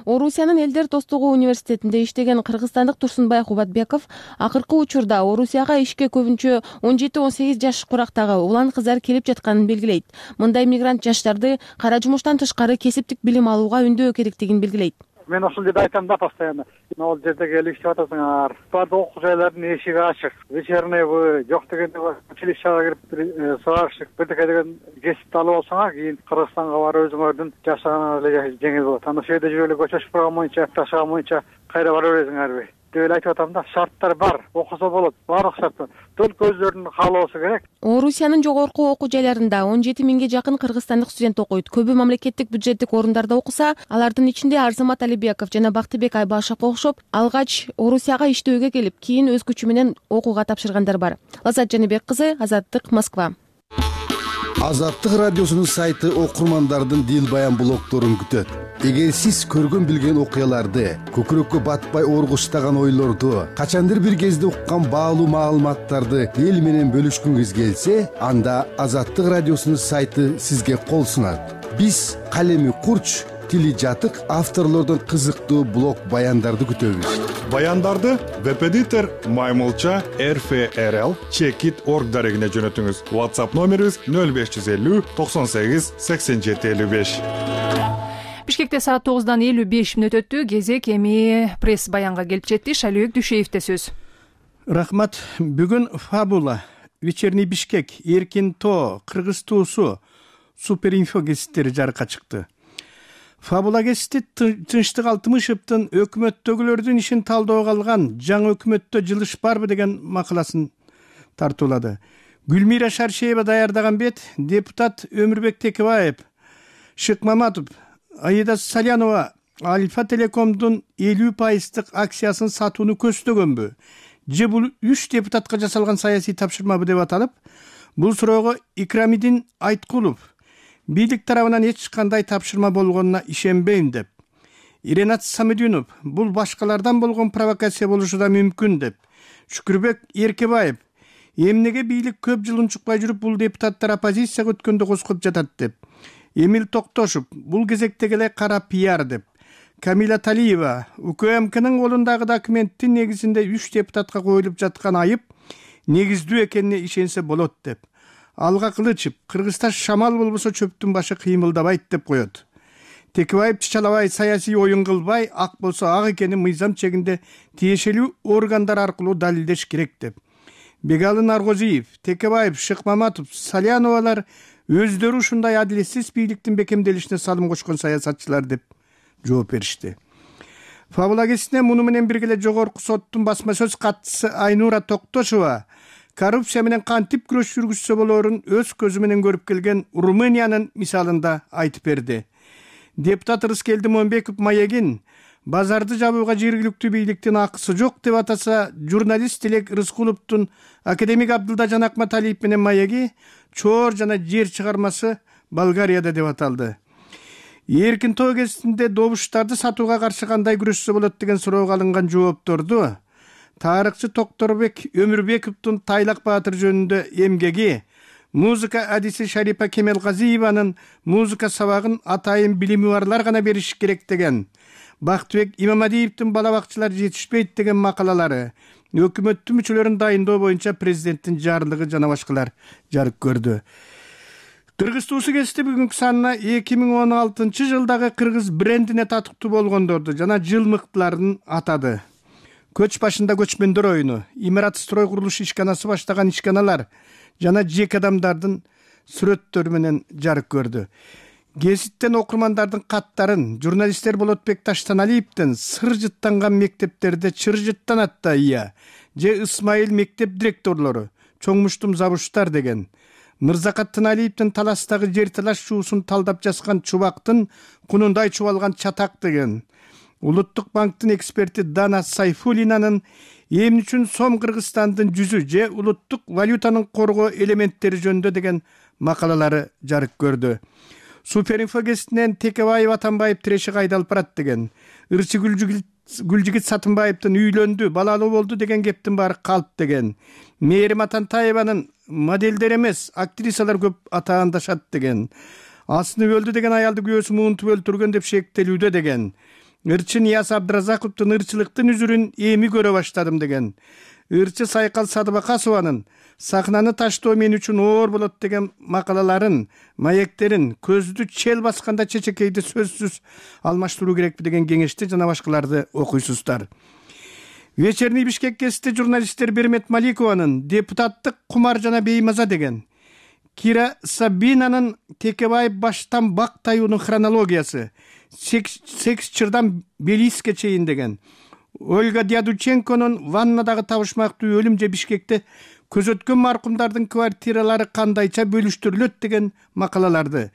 Орусиянын Элдер достугу университетинде иштеген кыргызстандык Турсунбай Кубатбеков акыркы учурда Орусияга ишке көбүнчө 17-18 жаш курактагы улан кыздар келип жатканын белгилейт. Мындай мигрант жаштарды кара жумуштан тышкары кесиптик билим алууга үндөө керектигин белгилейт. Мен ошол жерде айтам да постоянно. Могул жерде келип иштеп атасыңар. Баардык окуу жайлардын эшиги ачык. Вечерныйбы, жок дегенде училищага кирип сварщик, бирдеке деген кесипти алып алсаңар, кийин Кыргызстанга барып өзүңөрдүн жашаганыңар эле жеңил болот. Анда ошол жерде жүрүп эле көчөчү программа боюнча, жашаган боюнча кайра бара бересиң ар бир. деп эле айтып атам да. Шарттар бар, окуса болот, баардык шарт бар. Только өздөрүнүн каалоосу керек. Орусиянын жогорку окуу жайларында 17 миңге жакын кыргызстандык студент окуйт. Көбү мамлекеттик бюджеттик орундарда окуса, алардын ичинде Арзамат Алибеков жана Бактыбек Айбашевго окшоп, алгач Орусияга иштөөгө келип, кийин өз күчү менен окууга тапшыргандар бар. Лаззат Жаныбек кызы, Азаттык, Москва. Азаттык радиосунун сайты окурмандардын дил баян блогдорун күтөт. Эгер сиз көргөн билген окуяларды, көкүрөккө батпай оргуштаган ойлорду, качандыр бир кезде уккан баалуу маалыматтарды эл менен бөлүшкүңүз келсе, анда Азаттык радиосунун сайты сизге кол сунат. Биз калеми курч, тили жатык авторлордун кызыктуу блог баяндарды күтөбүз. Баяндарды веб-эдитор Маймылча RFRL Checkit.org дарегине жөнөтүңүз. WhatsApp номерибиз 0550 98 87 55. Бишкекте саат 9:55 өттү. Кезек эми пресс баянга келип жетти. Шалибек Дүйшеевде сөз. Рахмат. Бүгүн Фабула, Вечерний Бишкек, Эркин Тоо, Кыргыз туусу, Суперинфо гезиттери жарыкка чыкты. Фабула гезити Тынчтык Алтымышевдин өкмөттөгүлөрдүн ишин талdoого алган жаңы өкмөттө жылыш барбы деген макаласын тартуулады. Гүлмира Шаршеева даярдаган бет депутат Өмүрбек Текебаев, Шык Маматов, Аида Салянова Альфа Телекомдун 50% акциясын сатууну көздөгөнбү? Же бул 3 депутатка жасалган саясий тапшырмабы деп аталып, бул суроого Икрамидин Айткулов бийлик тарабынан эч кандай тапшырма болгонуна ишенбейм деп, Иренат Самединов бул башкалардан болгон провокация болушу да мүмкүн деп, Шүкүрбек Эркебаев эмнеге бийлик көп жыл унчукпай жүрүп бул депутаттар оппозицияга өткөндө коскоп жатат деп, Эмил Токтошев бул кезектеги эле кара пиар деп, Камила Талиева УКМКнын колундагы документтин негизинде 3 депутатка коюлуп жаткан айып негиздүү экенине ишенсе болот деп, Алга Кылычев Кыргызда шамал болбосо чөптүн башы кыймылдабайт деп коет. Текебаев чычалабай саясий оюн кылбай, ак болсо ак экенин мыйзам чегинде тиешелүү органдар аркылуу далилдеш керек деп. Бегалы Наргозиев, Текебаев, Шык Маматов, Саляновалар өздөрү ушундай адилетсиз бийликтин бекемделишине салым кошкон саясатчылар деп жооп беришти. Фабула гезитине муну менен бирге эле жогорку соттун басма сөз катчысы Айнура Токтошева коррупция менен кантип күрөш жүргүзсө болоорун өз көзү менен көрүп келген Румыниянын мисалында айтып берди. Депутат Рыскелди Момбеков маегин базарды жабууга жергиликтүү бийликтин акысы жок деп атаса, журналист Тилек Рыскуловдун академик Абдылда Жанакматалиев менен маеги чоор жана жер чыгармасы Болгарияда деп аталды. Эркин Тоо гезитинде добуштарды сатууга каршы кандай күрөшсө болот деген суроого алынган жоопторду тарыхчы Токторбек Өмүрбековдун Тайлак Баатыр жөнүндө эмгеги, музыка адиси Шарипа Кемелгазиеванын музыка сабагын атайын билими барлар гана бериш керек деген, Бактыбек Имамадиевдин бала бакчылар жетишпейт деген макалалары, өкмөттүн мүчөлөрүн дайындоо боюнча президенттин жарлыгы жана башкалар жарык көрдү. Кыргыз туусу гезити бүгүнкү санына 2016 жылдагы кыргыз брендине татыктуу болгондорду жана жыл мыктыларын атады. Көч башында көчмөндөр оюну, имарат строй курулуш ишканасы баштаган ишканалар жана жеке адамдардын сүрөттөрү менен жарык көрдү. Гезиттен окурмандардын каттарын журналисттер Болотбек Таштаналиевдин сыр жыттанган мектептерде чыр жыттанат да ия, же Исмайыл мектеп директорлору, чоңмуштум забуштар деген, Мырзакат Тыналиевдин таластагы жер талаш чуусун талдап жазган чубактын кунундай чубалган чатак деген, Улуттук банктын эксперти Дана Сайфулинанын эмне үчүн сом Кыргызстандын жүзү же улуттук валютанын коргоо элементтери жөнүндө деген макалалары жарык көрдү. Суперинфо гезитинен Текебаев Атамбаев тиреши кайдалып барат деген, Ырчы Гүлжигит Сатымбаевдин үйлөндү, балалуу болду деген кептин баары калп деген, Мээрим Атантаеванын моделдер эмес, актрисалар көп атаандашат деген, Асынып өлдү деген аялды күйөөсү муунтуп өлтүргөн деп шектелүүдө деген, Ырчы Нияз Абдыразаковдун ырчылыктын үзүрүн эми көрө баштадым деген, Ырчы Сайкал Садыбакасованын сахнаны таштоо мен үчүн оор болот деген макалаларын, маектерин көздү чел басканда чечекейди сөзсүз алмаштыруу керекпи деген кеңешти жана башкаларды окуйсуздар. Вечерний Бишкек гезити журналисттер Бермет Маликованын депутаттык кумар жана беймаза деген, Кира Сабинанын Текебаев баштан бак таюунун хронологиясы, секс чырдан Белиске чейин деген, Ольга Дядученконун ваннадагы табышмактуу өлүм же Бишкекте көзөткөн маркумдардын квартиралары кандайча бөлүштүрүлөт деген макалаларды,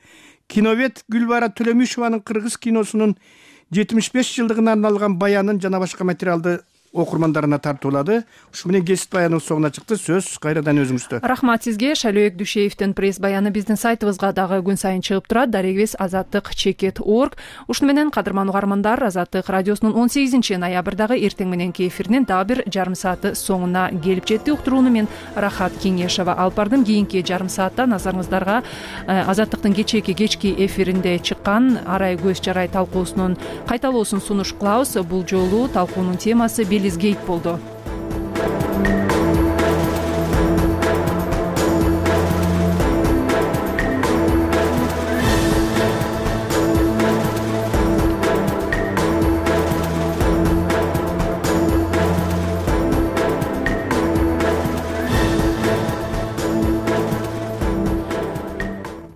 киновед Гүлбара Төлөмүшованын кыргыз киносунун 75 жылдыгына арналган баянын жана башка материалды окурмандарына тартуулады. Ушу менен кесип баянын соңуна чыкты. Сөз кайрадан өзүңүздө. Рахмат сизге. Шалөөк Дүйшеевдин пресс баяны биздин сайтыбызга дагы күн сайын чыгып турат. Дарегибиз azattik.org. Ушуну менен кадырман угармандар, Азаттык радиосунун 18 ноябрдагы эртең мененки эфиринин дагы бир жарым сааты соңуна келип жетти. Уктурууну мен Рахат Кеңешова алып бардым. Кийинки жарым саатта назарыңыздарга Азаттыктын кечээки кечки эфиринде чыккан арай көз жарай талкуусунун кайталоосун сунуш кылабыз. Бул жолу талкуунун темасы Гейт болду.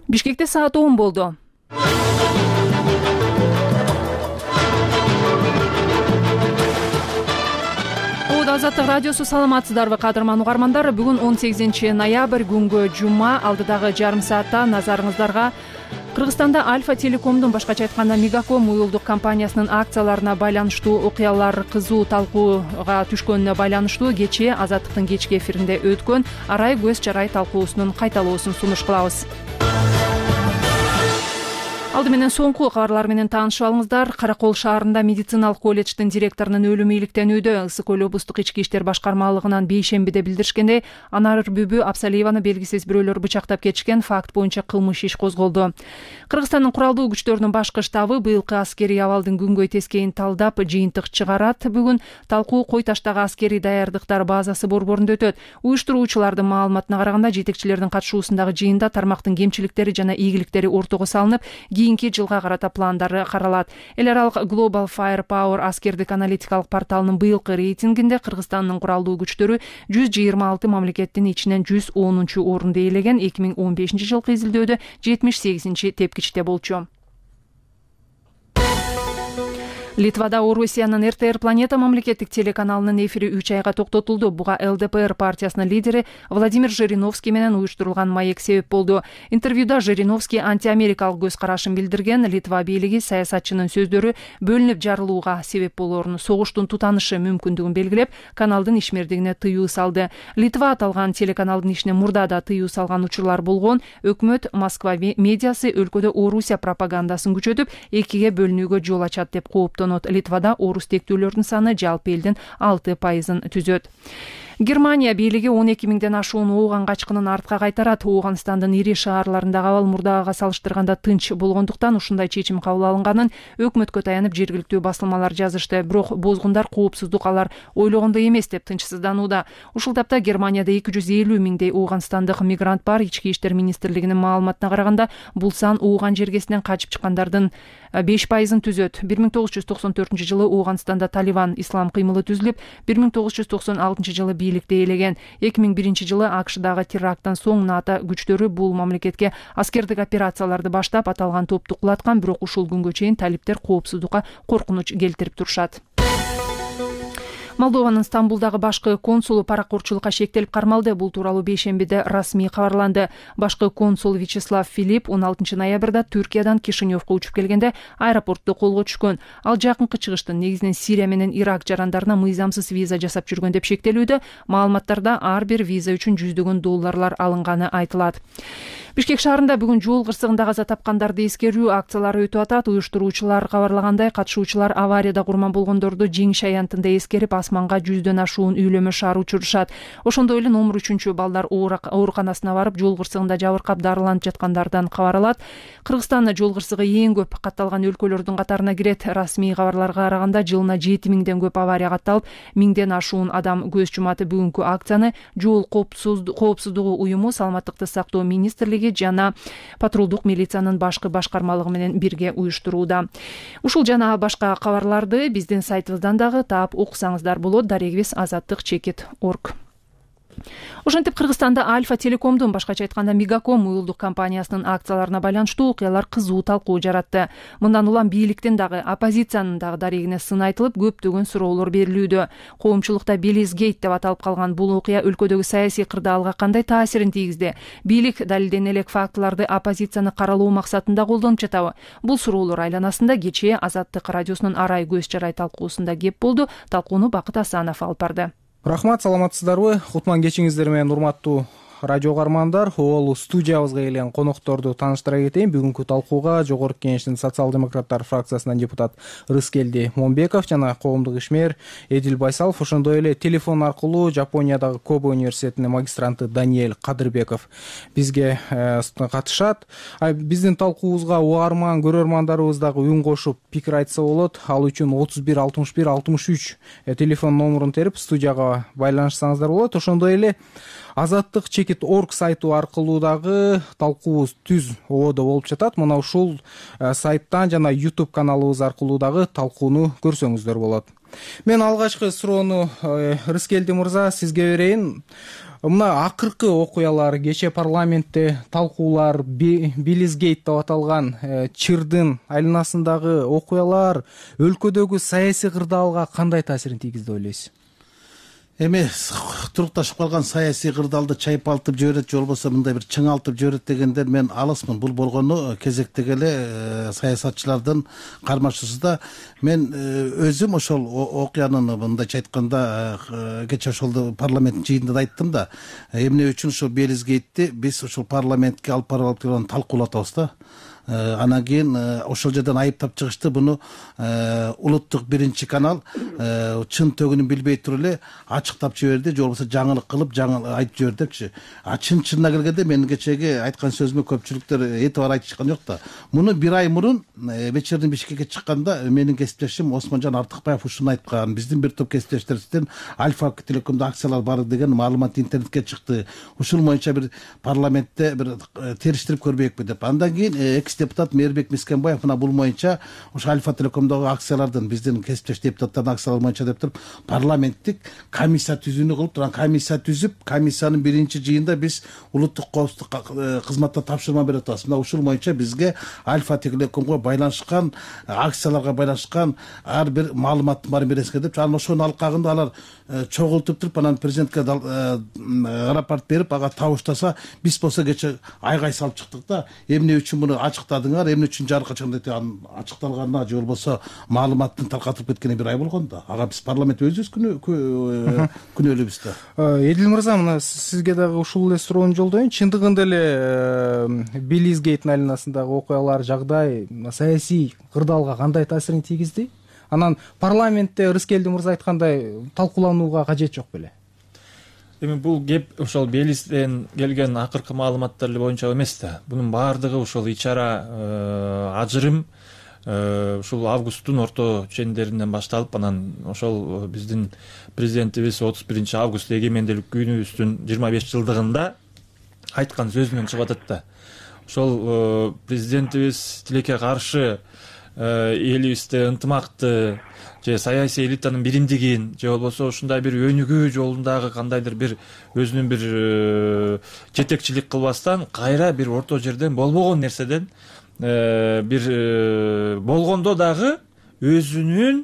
Бишкекте саат 10 болду. Азаттык радиосу, саламатсыздарбы кадырман угармандар? Бүгүн 18 ноябрь күнгө жума. Алдыдагы жарым саатта назарыңыздарга Кыргызстанда Альфа Телекомдун, башкача айтканда Мегаком уюлдук компаниясынын акцияларына байланыштуу окуялар кызуу талкууга түшкөнүнө байланыштуу кечээ Азаттыктын кечки эфиринде өткөн арай көз жарай талкуусунун кайталоосун сунуш кылабыз. Алды менен соңку кабарлар менен таанышып алыңыздар. Каракол шаарында медициналык колледждин директорунун өлүмү иликтенүүдө. Ысык Көл облустук ички иштер башкармалыгынан бейшембиде билдиришкендей, Анар Бүбү Абсалиеваны белгисиз бирөөлөр бычактап кетишкен факт боюнча кылмыш иш козголду. Кыргызстандын куралдуу күчтөрүнүн башкы штабы быйылкы аскерий абалдын күнгөй тескейин талдап жыйынтык чыгарат. Бүгүн талкуу Кой Таштагы аскерий даярдыктар базасы борборунда өтөт. Уюштуруучулардын маалыматына караганда, жетекчилердин катышуусундагы жыйында тармактын кемчиликтери жана ийгиликтери ортого салынып, кийинки жылга карата пландары каралат. Эл аралык Global Firepower аскердик аналитикалык порталынын быйылкы рейтингинде Кыргызстандын куралдуу күчтөрү 126 мамлекеттин ичинен 110-орунду ээлеген. 2015 жылкы изилдөөдө 78-тепкичте болчу. Литвада Орусиянын РТР Планета мамлекеттик телеканалынын эфири 3 айга токтотулду. Буга ЛДПР партиясынын лидери Владимир Жириновский менен уюштурулган маек себеп болду. Интервьюда Жириновский антиамерикалык көз карашын билдирген. Литва бийлиги саясатчынын сөздөрү бөлүнүп жарылууга себеп болоорун, согуштун тутанышы мүмкүндүгүн белгилеп, каналдын ишмердигине тыюу салды. Литва аталган телеканалдын ишине мурда да тыюу салган учурлар болгон. Өкмөт Москва медиасы өлкөдө Орусия пропагандасын күчөтүп, экиге бөлүнүүгө жол ачат деп кооптонот. Литвада орус тектүүлөрдүн саны жалпы элдин 6% түзөт. Германия бийлиги 12 миңден ашуун ооган качкынын артка кайтарат. Ооганстандын ири шаарларындагы абал мурдагыга салыштырганда тынч болгондуктан ушундай чечим кабыл алынганын өкмөткө таянып жергиликтүү басылмалар жазышты. Бирок бозгундар коопсуздук алар ойлогондой эмес деп тынчсызданууда. Ушул тапта Германияда 250 миңдей ооганстандык мигрант бар. Ички иштер министрлигинин маалыматына караганда, бул сан ооган жергесинен качып чыккандардын 5% түзөт. 1994 жылы Ооганстанда Талибан ислам кыймылы түзүлүп, 1996 жылы бийликти ээлеген. 2001 жылы АКШдагы теракттан соң НАТО күчтөрү бул мамлекетке аскердик операцияларды баштап, аталган топту кулаткан. Бирок ушул күнгө чейин талиптер коопсуздукка коркунуч келтирип турушат. Молдованын Стамбулдагы башкы консулу паракурчулукка шектелип кармалды. Бул тууралуу бейшембиде расмий кабарланды. Башкы консул Вячеслав Филипп 16 ноябрда Түркиядан Кишиневко учуп келгенде аэропортто колго түшкөн. Ал жакынкы чыгыштын негизинен Сирия менен Ирак жарандарына мыйзамсыз виза жасап жүргөн деп шектелүүдө. Маалыматтарда ар бир виза үчүн $100 долларлар алынганы айтылат. Бишкек шаарында бүгүн жол кырсыгында каза тапкандарды эскерүү акциялары өтүп атат. Уюштуруучулар кабарлагандай, катышуучулар аварияда курман болгондорду жеңиш аянтында эскерип, асманга 100дөн ашуун үйлөмө шаар учурушат. Ошондой эле номер 3 балдар ооруканасына барып, жол кырсыгында жабыркап дарыланып жаткандардан кабар алат. Кыргызстан жол кырсыгы эң көп катталган өлкөлөрдүн катарына кирет. Расмий кабарларга караганда, жылына 7 миңден көп авария катталып, 1000ден ашуун адам көз жумат. Бүгүнкү акцияны жол коопсуздугу уюму, Саламаттыкты сактоо министрлиги жана патрулдук милициянын башкы башкармалыгы менен бирге уюштурууда. Ушул жана башка кабарларды биздин сайтыбыздан дагы таап окусаңыздар болот. Дарегибиз azattik.org. Ошентип Кыргызстанда Альфа Телекомдун, башкача айтканда Мегаком уюлдук компаниясынын акцияларына байланыштуу окуялар кызуу талкуу жаратты. Мындан улам бийликтин дагы, оппозициянын дагы дарегине сын айтылып, көптөгөн суроолор берилүүдө. Коомчулукта Белизгейт деп аталып калган бул окуя өлкөдөгү саясий кырдаалга кандай таасирин тийгизди? Бийлик далилдене элек фактыларды оппозицияны каралоо максатында колдонуп жатабы? Бул суроолор айланасында кечээ Азаттык радиосунун арай көз чарай талкуусунда кеп болду. Талкууну Бакыт Асанов алып барды. Рахмат, саламатсыздарбы? Кутман кечиңиздер менен, урматтуу радио каармандар. Ол студиябызга келген конокторду тааныштыра кетейин. Бүгүнкү талкууга Жогорку Кеңештин социал-демократтар фракциясынан депутат Рыскелди Момбеков жана коомдук ишмер Эдил Байсалов, ошондой эле телефон аркылуу Жапониядагы Кобе университетинин магистранты Даниэль Кадырбеков бизге катышат. Биздин талкуубузга угарман көрөрмандарыбыз дагы үн кошуп пикир айтса болот. Ал үчүн 31 61 63 телефон номерун терип студияга байланышсаңыздар болот. Ошондой эле Азаттык чекит орг сайту аркылуу дагы талкуубуз түз ободо болуп жатат. Мына ушул сайттан жана YouTube каналыбыз аркылуу дагы талкууну көрсөңүздөр болот. Мен алгачкы суроону Рыскелди мырза сизге берейин. Мына акыркы окуялар, кечээ парламентте талкуулар, Белизгейт деп аталган чырдын айланасындагы окуялар өлкөдөгү саясий кырдаалга кандай таасирин тийгизди деп ойлойсуз? Эми турукташып калган саясий кырдаалды чайпалтып жиберет же болбосо мындай бир чыңалтып жиберет дегенден мен алысмын. Бул болгону кезектеги эле саясатчылардын кармашуусунда. Мен өзүм ошол окуянын мындайча айтканда кечээ ошол парламенттин жыйынында да айттым да. Эмне үчүн ошол Белизгейтти биз ошол парламентке алып барып турган талкуулатабыз да. Анан кийин ошол жерден айыптап чыгышты. Буну улуттук биринчи канал чын төгүнүн билбей туруп эле ачыктап жиберди, же болбосо жаңылык кылып айтып жиберди депчи. Чынына келгенде мен кечеги айткан сөзүмө көпчүлүктөр этибар айтышкан жок да. Муну бир ай мурун вечердин Бишкекке чыкканда менин кесиптешим Осмонжон Артыкбаев ушуну айткан. Биздин бир топ кесиптештерибизден Альфа Телекомдо акциялар бар деген маалымат интернетке чыкты. Ушул боюнча бир парламентте бир териштирип көрбөйүкпү деп. Андан кийин депутат Мээрбек Мискенбаев мына бул боюнча ошо Альфа Телекомдогу акциялардын биздин кесиптеш депутаттардын акциялары боюнча деп туруп парламенттик комиссия түзүүнү кылып турган. Комиссия түзүп, комиссиянын биринчи жыйында биз улуттук коопсуздук кызматына тапшырма берип атабыз. Мына ушул боюнча бизге Альфа Телекомго байланышкан, акцияларга байланышкан ар бир маалыматтын баарын бересиңер деп, анан ошонун алкагында алар чогултуп туруп анан президентке рапорт берип ага табыштаса, биз болсо кече айгай салып чыктык да. Эмне үчүн муну ачыктадыңар, эмне үчүн жарыкка чыгды деп, анын ачыкталганына же болбосо маалыматтын таркатылып кеткенине бир ай болгон да. Ага биз парламент өзүбүз күнөөлүүбүз да. Эдил мырза, мына сизге дагы ушул эле суроону жолдоюн. Чындыгында эле Белизгейттин айланасындагы окуялар, жагдай саясий кырдаалга кандай таасирин тийгизди? Анан парламентте Рыскелди мырза айткандай талкууланууга кажет жок беле? Эми бул кеп ошол Белизден келген акыркы маалыматтар боюнча эмес да. Бунун баардыгы ошол ичара ажырым ушул августтун орто чендеринен башталып, анан ошол биздин президентибиз 31-август эгемендүүлүк күнүбүздүн 25 жылдыгында айткан сөзүнөн чыгып атат да. Ошол президентибиз тилекке каршы элибизде ынтымакты же саясий элитанын биримдигин же болбосо ушундай бир өнүгүү жолундагы кандайдыр бир өзүнүн бир жетекчилик кылбастан кайра бир орто жерден болбогон нерседен бир болгондо дагы өзүнүн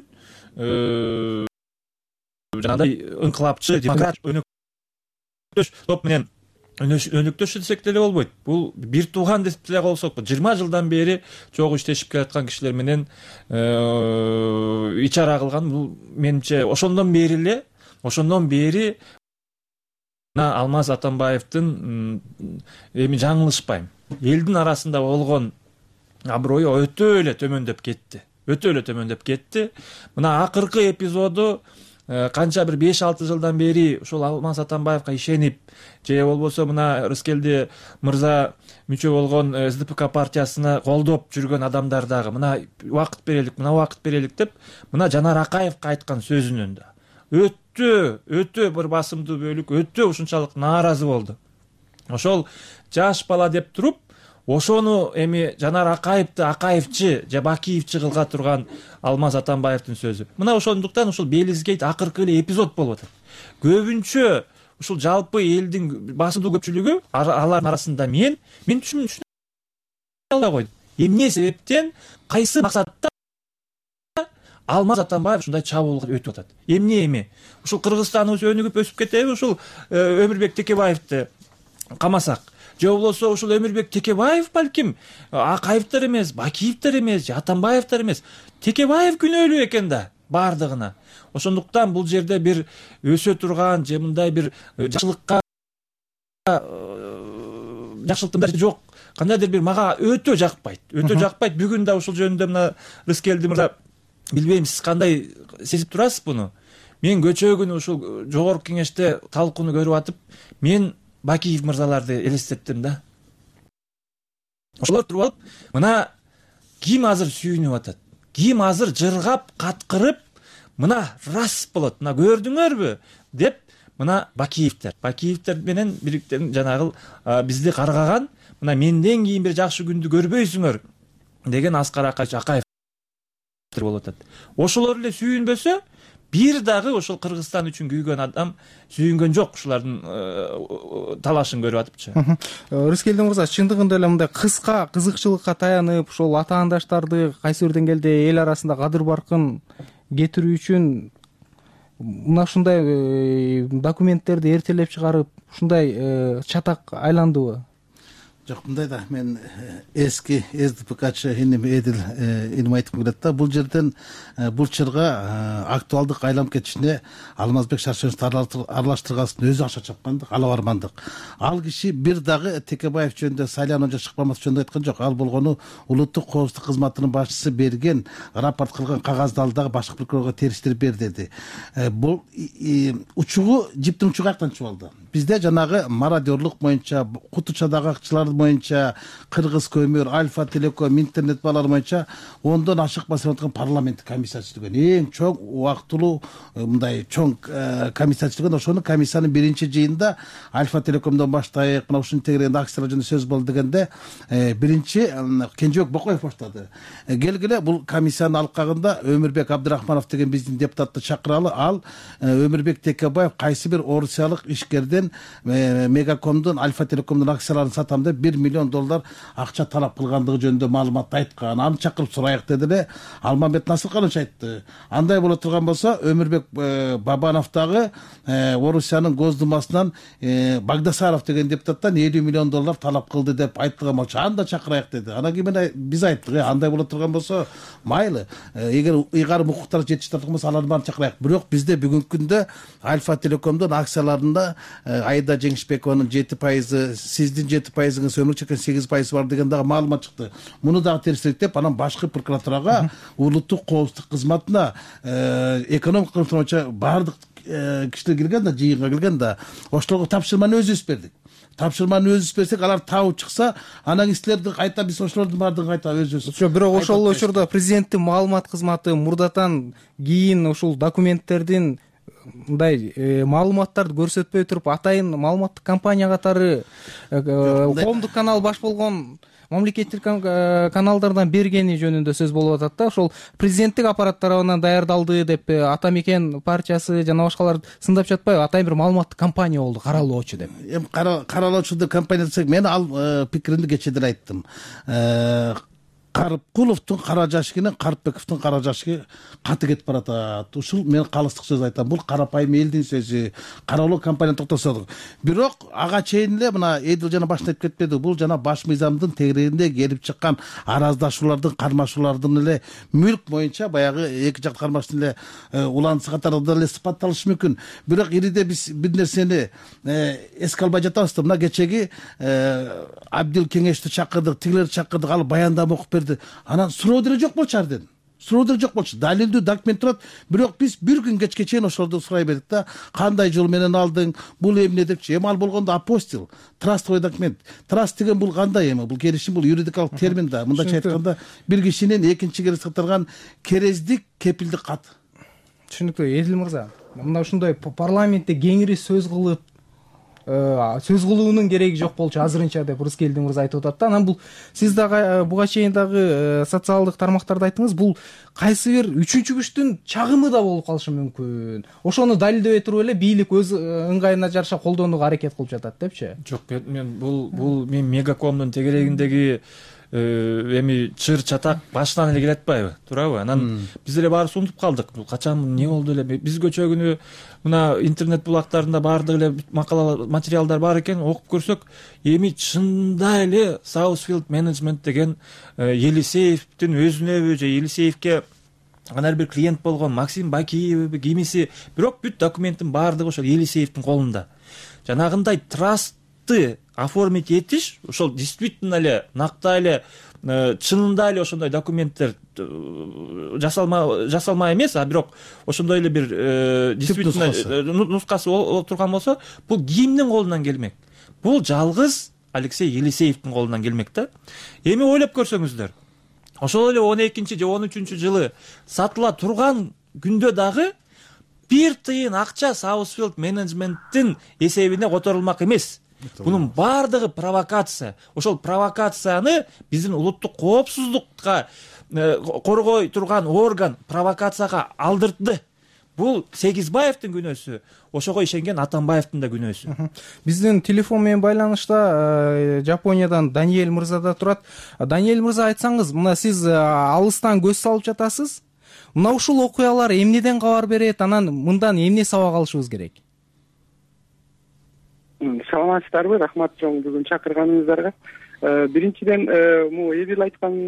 жанагындай ыңкылапчы демократ өнөктөш топ менен өнөктөш десек деле болбойт. Бул бир тууган деп деле болсок, 20 жылдан бери чогуу иштешип келаткан кишилер менен ичара кылган. Бул менимче ошондон бери Алмаз Атамбаевдин эми жаңылышпайм, элдин арасында болгон аброю өтө эле төмөндөп кетти. Мына акыркы эпизоду канча бир 5-6 жылдан бери ушул Алмаз Атамбаевга ишенип, же болбосо мына Рыскелди мырза мүчө болгон СДПК партиясына колдоп жүргөн адамдар дагы мына убакыт берелик деп мына Жанар Акаевга айткан сөзүнөн да өтө бир басымдуу бөлүк өтө ушунчалык нааразы болду. Ошол жаш бала деп туруп ошону эми Жанар Акаевди Акаевчи же Бакиевчи кылга турган Алмаз Атамбаевдин сөзү. Мына ошондуктан ушул Белизгейт акыркы эле эпизод болуп атат. Көбүнчө ушул жалпы элдин басымдуу көпчүлүгү алардын арасында мен түшүнө албай койдум. Эмне себептен, кайсы максатта Алмаз Атамбаев ушундай чабуулга өтүп атат? Эми ушул Кыргызстаныбыз өнүгүп өсүп кетеби, ушул Өмүрбек Текебаевди камасак, же болбосо ушул Өмүрбек Текебаев балким Акаевдер эмес, Бакиевдер эмес, Атамбаевдер эмес, Текебаев күнөөлүү экен да бардыгына. Ошондуктан бул жерде бир өсө турган же мындай бир жакшылыктын жок, кандайдыр бир мага өтө жакпайт. Бүгүн да ушул жөнүндө мына Рыскелди мырза, билбейм сиз кандай сезип турасыз буну. Мен көчө күнү ушул жогорку кеңеште талкууну көрүп атып, мен Бакиев мырзаларды элестеттим да. Ошолор туруп алып, мына ким азыр сүйүнүп атат? Ким азыр жыргап, каткырып, мына рас болот, мына көрдүңөрбү деп, мына Бакиевдер менен бириктен жанагы бизди каргаган, мына менден кийин бир жакшы күндү көрбөйсүңөр деген Аскар Акаев болуп атат. Ошолор эле сүйүнбөсө, бир дагы ошол Кыргызстан үчүн күйгөн адам сүйүнгөн жок, ушулардын талашын көрүп атыпчы. Рыскелди мырза, чындыгында эле мындай кыска кызыкчылыкка таянып, ушул атаандаштарды кайсы бир деңгээлде эл арасында кадыр баркын кетирүү үчүн мына ушундай документтерди эртелеп чыгарып, ушундай чатак айландыбы? Жок, мындай да, мен эски СДПКчы иним Эдил иним айтып келет да, бул жерден бул чырга актуалдык айланып кетишине Алмазбек Шаршеновду аралаштыргасын өзү акча чапкандык, ала бармандык. Ал киши бир дагы Текебаев жөнүндө сайланууга чыкпамас жөнүндө айткан жок. Ал болгону улуттук коопсуздук кызматынын башчысы берген рапорт кылган кагазды ал дагы башкы прокурорго териштирип бер деди. Бул учугу, жиптин учугу каяктан чыгып алды? Бизде жанагы мародерлук боюнча, Кутучадагы акчылар боюнча, Кыргыз көмүр, Альфа Телеком, интернет балар боюнча 10дон ашык басып парламенттик комиссия түзүлгөн. Эң чоң убактылуу мындай чоң комиссия түзүлгөн. Ошону комиссиянын биринчи жыйынында Альфа Телекомдон баштайык, мына ушуну тегерегенде акциялар жөнүндө сөз болду дегенде биринчи Кенжебек Бокоев баштады. Келгиле, бул комиссиянын алкагында Өмүрбек Абдрахманов деген биздин депутатты чакыралы. Ал Өмүрбек Текебаев кайсы бир орусиялык ишкерден Мегакомдун, Альфа Телекомдун акцияларын сатам деп $1 миллион акча талап кылгандыгы жөнүндө маалымат айткан. Аны чакырып сурайык деди эле. Алмамбет Насырканович айтты. Андай боло турган болсо, Өмүрбек Бабанов дагы Орусиянын Госдумасынан Багдасаров деген депутаттан $50 миллион талап кылды деп айткан болчу. Аны да чакырайык деди. Анан кийин биз айттык, андай боло турган болсо, майлы. Эгер ыйгарым укуктар жетиштип турган болсо, аларды баарын чакырайык. Бирок бизде бүгүнкү күндө Альфа Телекомдун акцияларында Айда Жеңишбекованын 7%, сиздин 7%ыңыз, Өмүрбек Чекенин 8% бар деген дагы маалымат чыкты. Муну дагы териштирик деп, анан башкы прокуратурага, улуттук коопсуздук кызматына, экономика боюнча баардык кишилер келген да, жыйынга келген да, ошолорго тапшырманы өзүбүз бердик. Тапшырманы өзүбүз берсек, алар табып чыкса, анан силерди кайта биз ошолордун баардыгын кайта өзүбүз. Бирок ошол учурда президенттин маалымат кызматы мурдатан кийин ушул документтердин мындай маалыматтарды көрсөтпөй туруп, атайын маалыматтык компания катары коомдук канал баш болгон мамлекеттик каналдардан бергени жөнүндө сөз болуп атат да. Ошол президенттик аппарат тарабынан даярдалды деп Атамекен партиясы жана башкалар сындап жатпайбы? Атайын бир маалыматтык компания болду, каралоочу деп. Эми каралоочу деп компания десек, мен ал пикиримди кечээ деле айттым. Карыпкуловдун кара жашыгы, Карыпбековдун кара жашыгы каты кетип баратат. Ушул мен калыстык сөз айтам. Бул карапайым элдин сөзү. Каралоо компания токтосодук. Бирок ага чейин эле мына Эдил жана башында айтып кетпеди. Бул жана баш мыйзамдын тегерегинде келип чыккан араздашуулардын, кармашуулардын эле мүлк боюнча баягы эки жак кармаштын эле уланысы катары эле сыпатталышы мүмкүн. Бирок ириде биз бир нерсени эске албай жатабыз да. Мына кечеги Абдил Кеңешти чакырдык, тигилерди чакырдык, ал баяндама окуп берди. Анан суроо деле жок болчу арден. Суроо деле жок болчу. Далилдүү документ турат. Бирок биз бир күн кечке чейин ошолорду сурай бердик да. Кандай жол менен алдың? Бул эмне депчи? Эми ал болгондо апостил, трастовый документ. Траст деген бул кандай эми? Бул келишим, бул юридикалык термин да. Мындайча айтканда, бир кишинин экинчи керес катарган керездик, кепилдик кат. Түшүнүктүү. Эдил мырза, мына ушундай парламентте кеңири сөз кылып, сөз кылуунун кереги жок болчу азырынча деп Рыскелди мырза айтып атат да. Анан бул сиз дагы буга чейин дагы социалдык тармактарда айттыңыз, бул кайсы бир үчүнчү күчтүн чагымы да болуп калышы мүмкүн. Ошону далилдебей туруп эле бийлик өз ыңгайына жараша колдонууга аракет кылып жатат депчи. Жок, мен бул мен Мегакомдун тегерегиндеги эми чыр чатак башынан эле келе атпайбы, туурабы? Анан биз эле баарыбыз унутуп калдык. Бул качан эмне болду эле? Биз көчө күнү мына интернет булактарында баардык эле макала материалдар бар экен, окуп көрсөк, эми чында эле Southfield Management деген Елисеевдин өзүнөбү же Елисеевке анар бир клиент болгон Максим Бакиевби кимиси, бирок бүт документтин баардыгы ошол Елисеевдин колунда. Жанагындай трастты оформить этиш, ошол действительно эле накта эле чынында эле ошондой документтер жасалма эмес, а бирок ошондой эле бир действительно нускасы отурган болсо, бул кимдин колунан келмек? Бул жалгыз Алексей Елисеевдин колунан келмек да. Эми ойлоп көрсөңүздөр, ошол эле 12 же 13 жылы сатыла турган күндө дагы бир тыйын акча Southfield Management'тин эсебине которулмак эмес. Бунун баардыгы провокация. Ошол провокацияны биздин улуттук коопсуздукка коргой турган орган провокацияга алдырды. Бул Сегизбаевдин күнөөсү, ошого ишенген Атамбаевдин да күнөөсү. Биздин телефон менен байланышта Жапониядан Даниэль мырза да турат. Даниэль мырза, айтсаңыз, мына сиз алыстан көз салып жатасыз. Мына ушул окуялар эмнеден кабар берет, анан мындан эмне сабак алышыбыз керек? Саламатсыздарбы, рахмат чоң бүгүн чакырганыңыздарга. Биринчиден,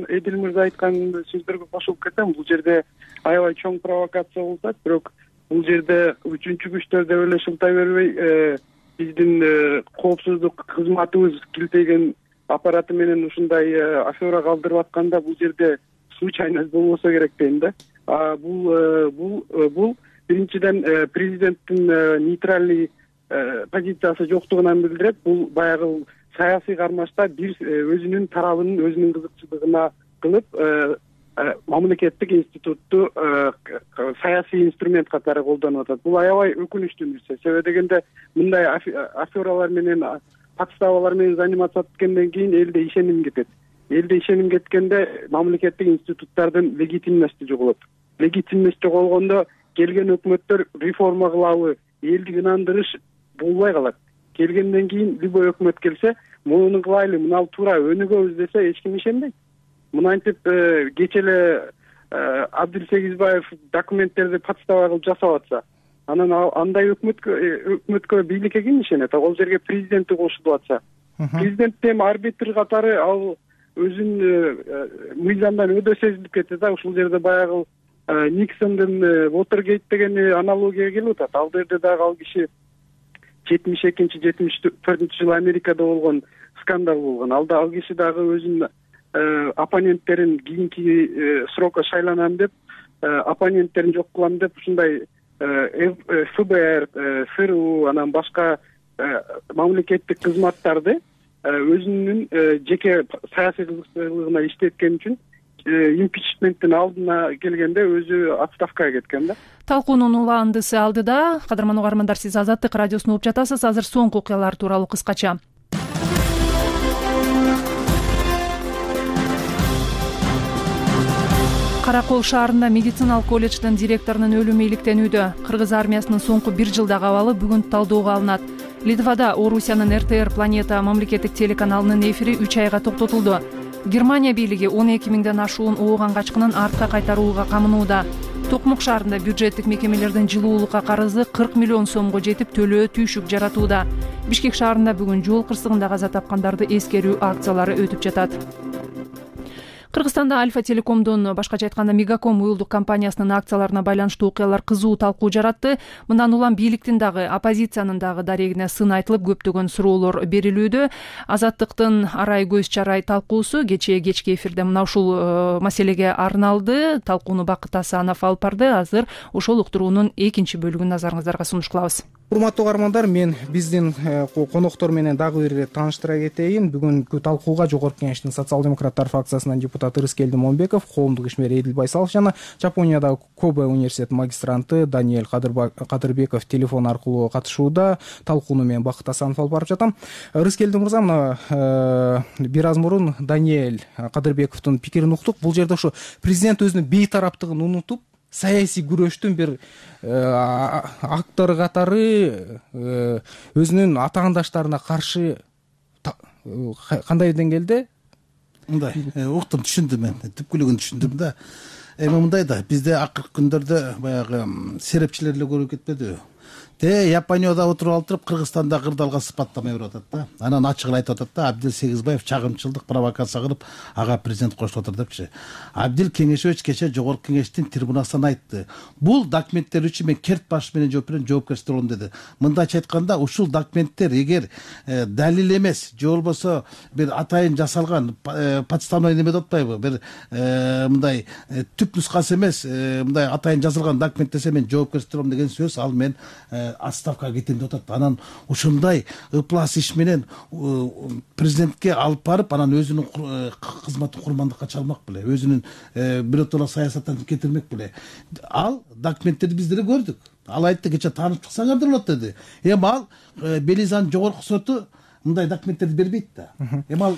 Эдил мырза айткан сөздөргө кошулуп кетем. Бул жерде аябай чоң провокация болуп атат, бирок бул жерде үчүнчү күчтөр деп эле шылтай бербей, биздин коопсуздук кызматыбыз килтеген аппараты менен ушундай афера калтырып атканда, бул жерде случайность болбосо керек дейм да. Бул биринчиден президенттин нейтральный позициясы жоктугунан билдирет. Бул баягы саясий кармашта бир өзүнүн тарабынын өзүнүн кызыкчылыгына кылып, мамлекеттик институтту саясий инструмент катары колдонуп атат. Бул аябай өкүнүчтүү нерсе. Себеби дегенде мындай афералар менен, подставалар менен заниматься эткенден кийин элде ишеним кетет. Элде ишеним кеткенде мамлекеттик институттардын легитимности жоголот. Легитимность жоголгондо келген өкмөттөр реформа кылабы, элди ынандырыш болбой калат. Келгенден кийин любой өкмөт келсе, муну кылайлы, мына туура өнүгөбүз десе, эч ким ишенбейт. Мынантип кече эле Абдил Сегизбаев документтерди подстава кылып жасап атса, анан андай өкмөткө бийликке ким ишенет? Ал жерге президенти кошулуп атса, президенттин арбитр катары ал өзүн мыйзамдан өдө сезилип кетти да. Ушул жерде баягы Никсондун Watergate деген аналогия келип атат. Ал жерде дагы ал киши 72-74 жылы Америкада болгон скандал болгон. Ал киши дагы өзүнүн оппоненттерин кийинки срокко шайланам деп, оппоненттерин жок кылам деп, ушундай ФБР, ФРУ, анан башка мамлекеттик кызматтарды өзүнүн жеке саясий кызыкчылыгына иштеткени үчүн импичменттин алдына келгенде өзү отставкага кеткен да. Талкуунун улаандысы алдыда. Кадырман угармандар, сиз Азаттык радиосун угуп жатасыз. Азыр соңку окуялар тууралуу кыскача. Каракол шаарында медициналык колледждин директорунун өлүмү иликтенүүдө. Кыргыз армиясынын соңку 1 жылдагы абалы бүгүн талдоого алынат. Литвада Орусиянын РТР Планета мамлекеттик телеканалынын эфири 3 айга токтотулду. Германия бийлиги 12 миңден ашуун ооган качкынын артка кайтарууга камынууда. Токмок шаарында бюджеттик мекемелердин жылуулукка карызы 40 миллион сомго жетип, төлөө түйшүк жаратууда. Бишкек шаарында бүгүн жол кырсыгында каза тапкандарды эскерүү акциялары өтүп жатат. Кыргызстанда Альфа Телекомдун, башкача айтканда Мегаком уюлдук компаниясынын акцияларына байланыштуу окуялар кызуу талкуу жаратты. Мындан улам бийликтин дагы, оппозициянын дагы дарегине сын айтылып, көптөгөн суроолор берилүүдө. Азаттыктын арай көз чарай талкуусу кечки эфирде мына ушул маселеге арналды. Талкууну Бакыт Асанов алып барды. Азыр ошол уктуруунун экинчи бөлүгүн назарыңыздарга сунуш кылабыз. урматтуу угармандар, мен биздин коноктор менен дагы бир ирет тааныштыра кетейин. Бүгүнкү талкууга Жогорку Кеңештин социал-демократтар фракциясынан депутат Рыскелди Момбеков, коомдук ишмер Эдил Байсалов жана Жапониядагы Кобе университетинин магистранты Даниэль Кадырбеков телефон аркылуу катышууда. Талкууну мен Бакыт Асанов алып барып жатам. Рыскелди мырза, мына бир аз мурун Даниэль Кадырбековдун пикирин уктук. Бул жерде ошо президент өзүнүн бейтараптыгын унутуп, саясий күрөштүн бир актору катары өзүнүн атаандаштарына каршы кандай деңгээлде? Мындай уктум, түшүндүм, мен түпкүлүгүн түшүндүм да. Эми мындай да, бизде акыркы күндөрдө баягы серепчилер эле көрүп кетпедиби? Японияда отуруп Кыргызстанда кырдаалга сыпаттама берип атат да. Анан ачык эле айтып атат да, Абдил Сегизбаев чагымчылдык провокация кылып ага президент кошуп отур депчи. Абдил Кеңешевич кечээ Жогорку Кеңештин трибунасынан айтты. Бул документтер үчүн мен керт баш менен жоопкерчилик алам деди. Мындайча айтканда, ушул документтер эгер далил эмес, же болбосо бир атайын жасалган подставной неме деп атпайбы, бир мындай түп нускасы эмес, мындай атайын жазылган документ десе мен жоопкерчилик алам деген сөз, ал мен отставкага кетем деп атат. Анан ушундай ыплас иш менен президентке алып барып, анан өзүнүн кызматын курмандыкка чалмак беле, өзүнүн биротоло саясаттан кетирмек беле. Ал документтерди биз деле көрдүк. Ал айтты, кече таанышып чыксаңар да болот деди. Эми ал Белизанын жогорку соту мындай документтерди бербейт да. Эми ал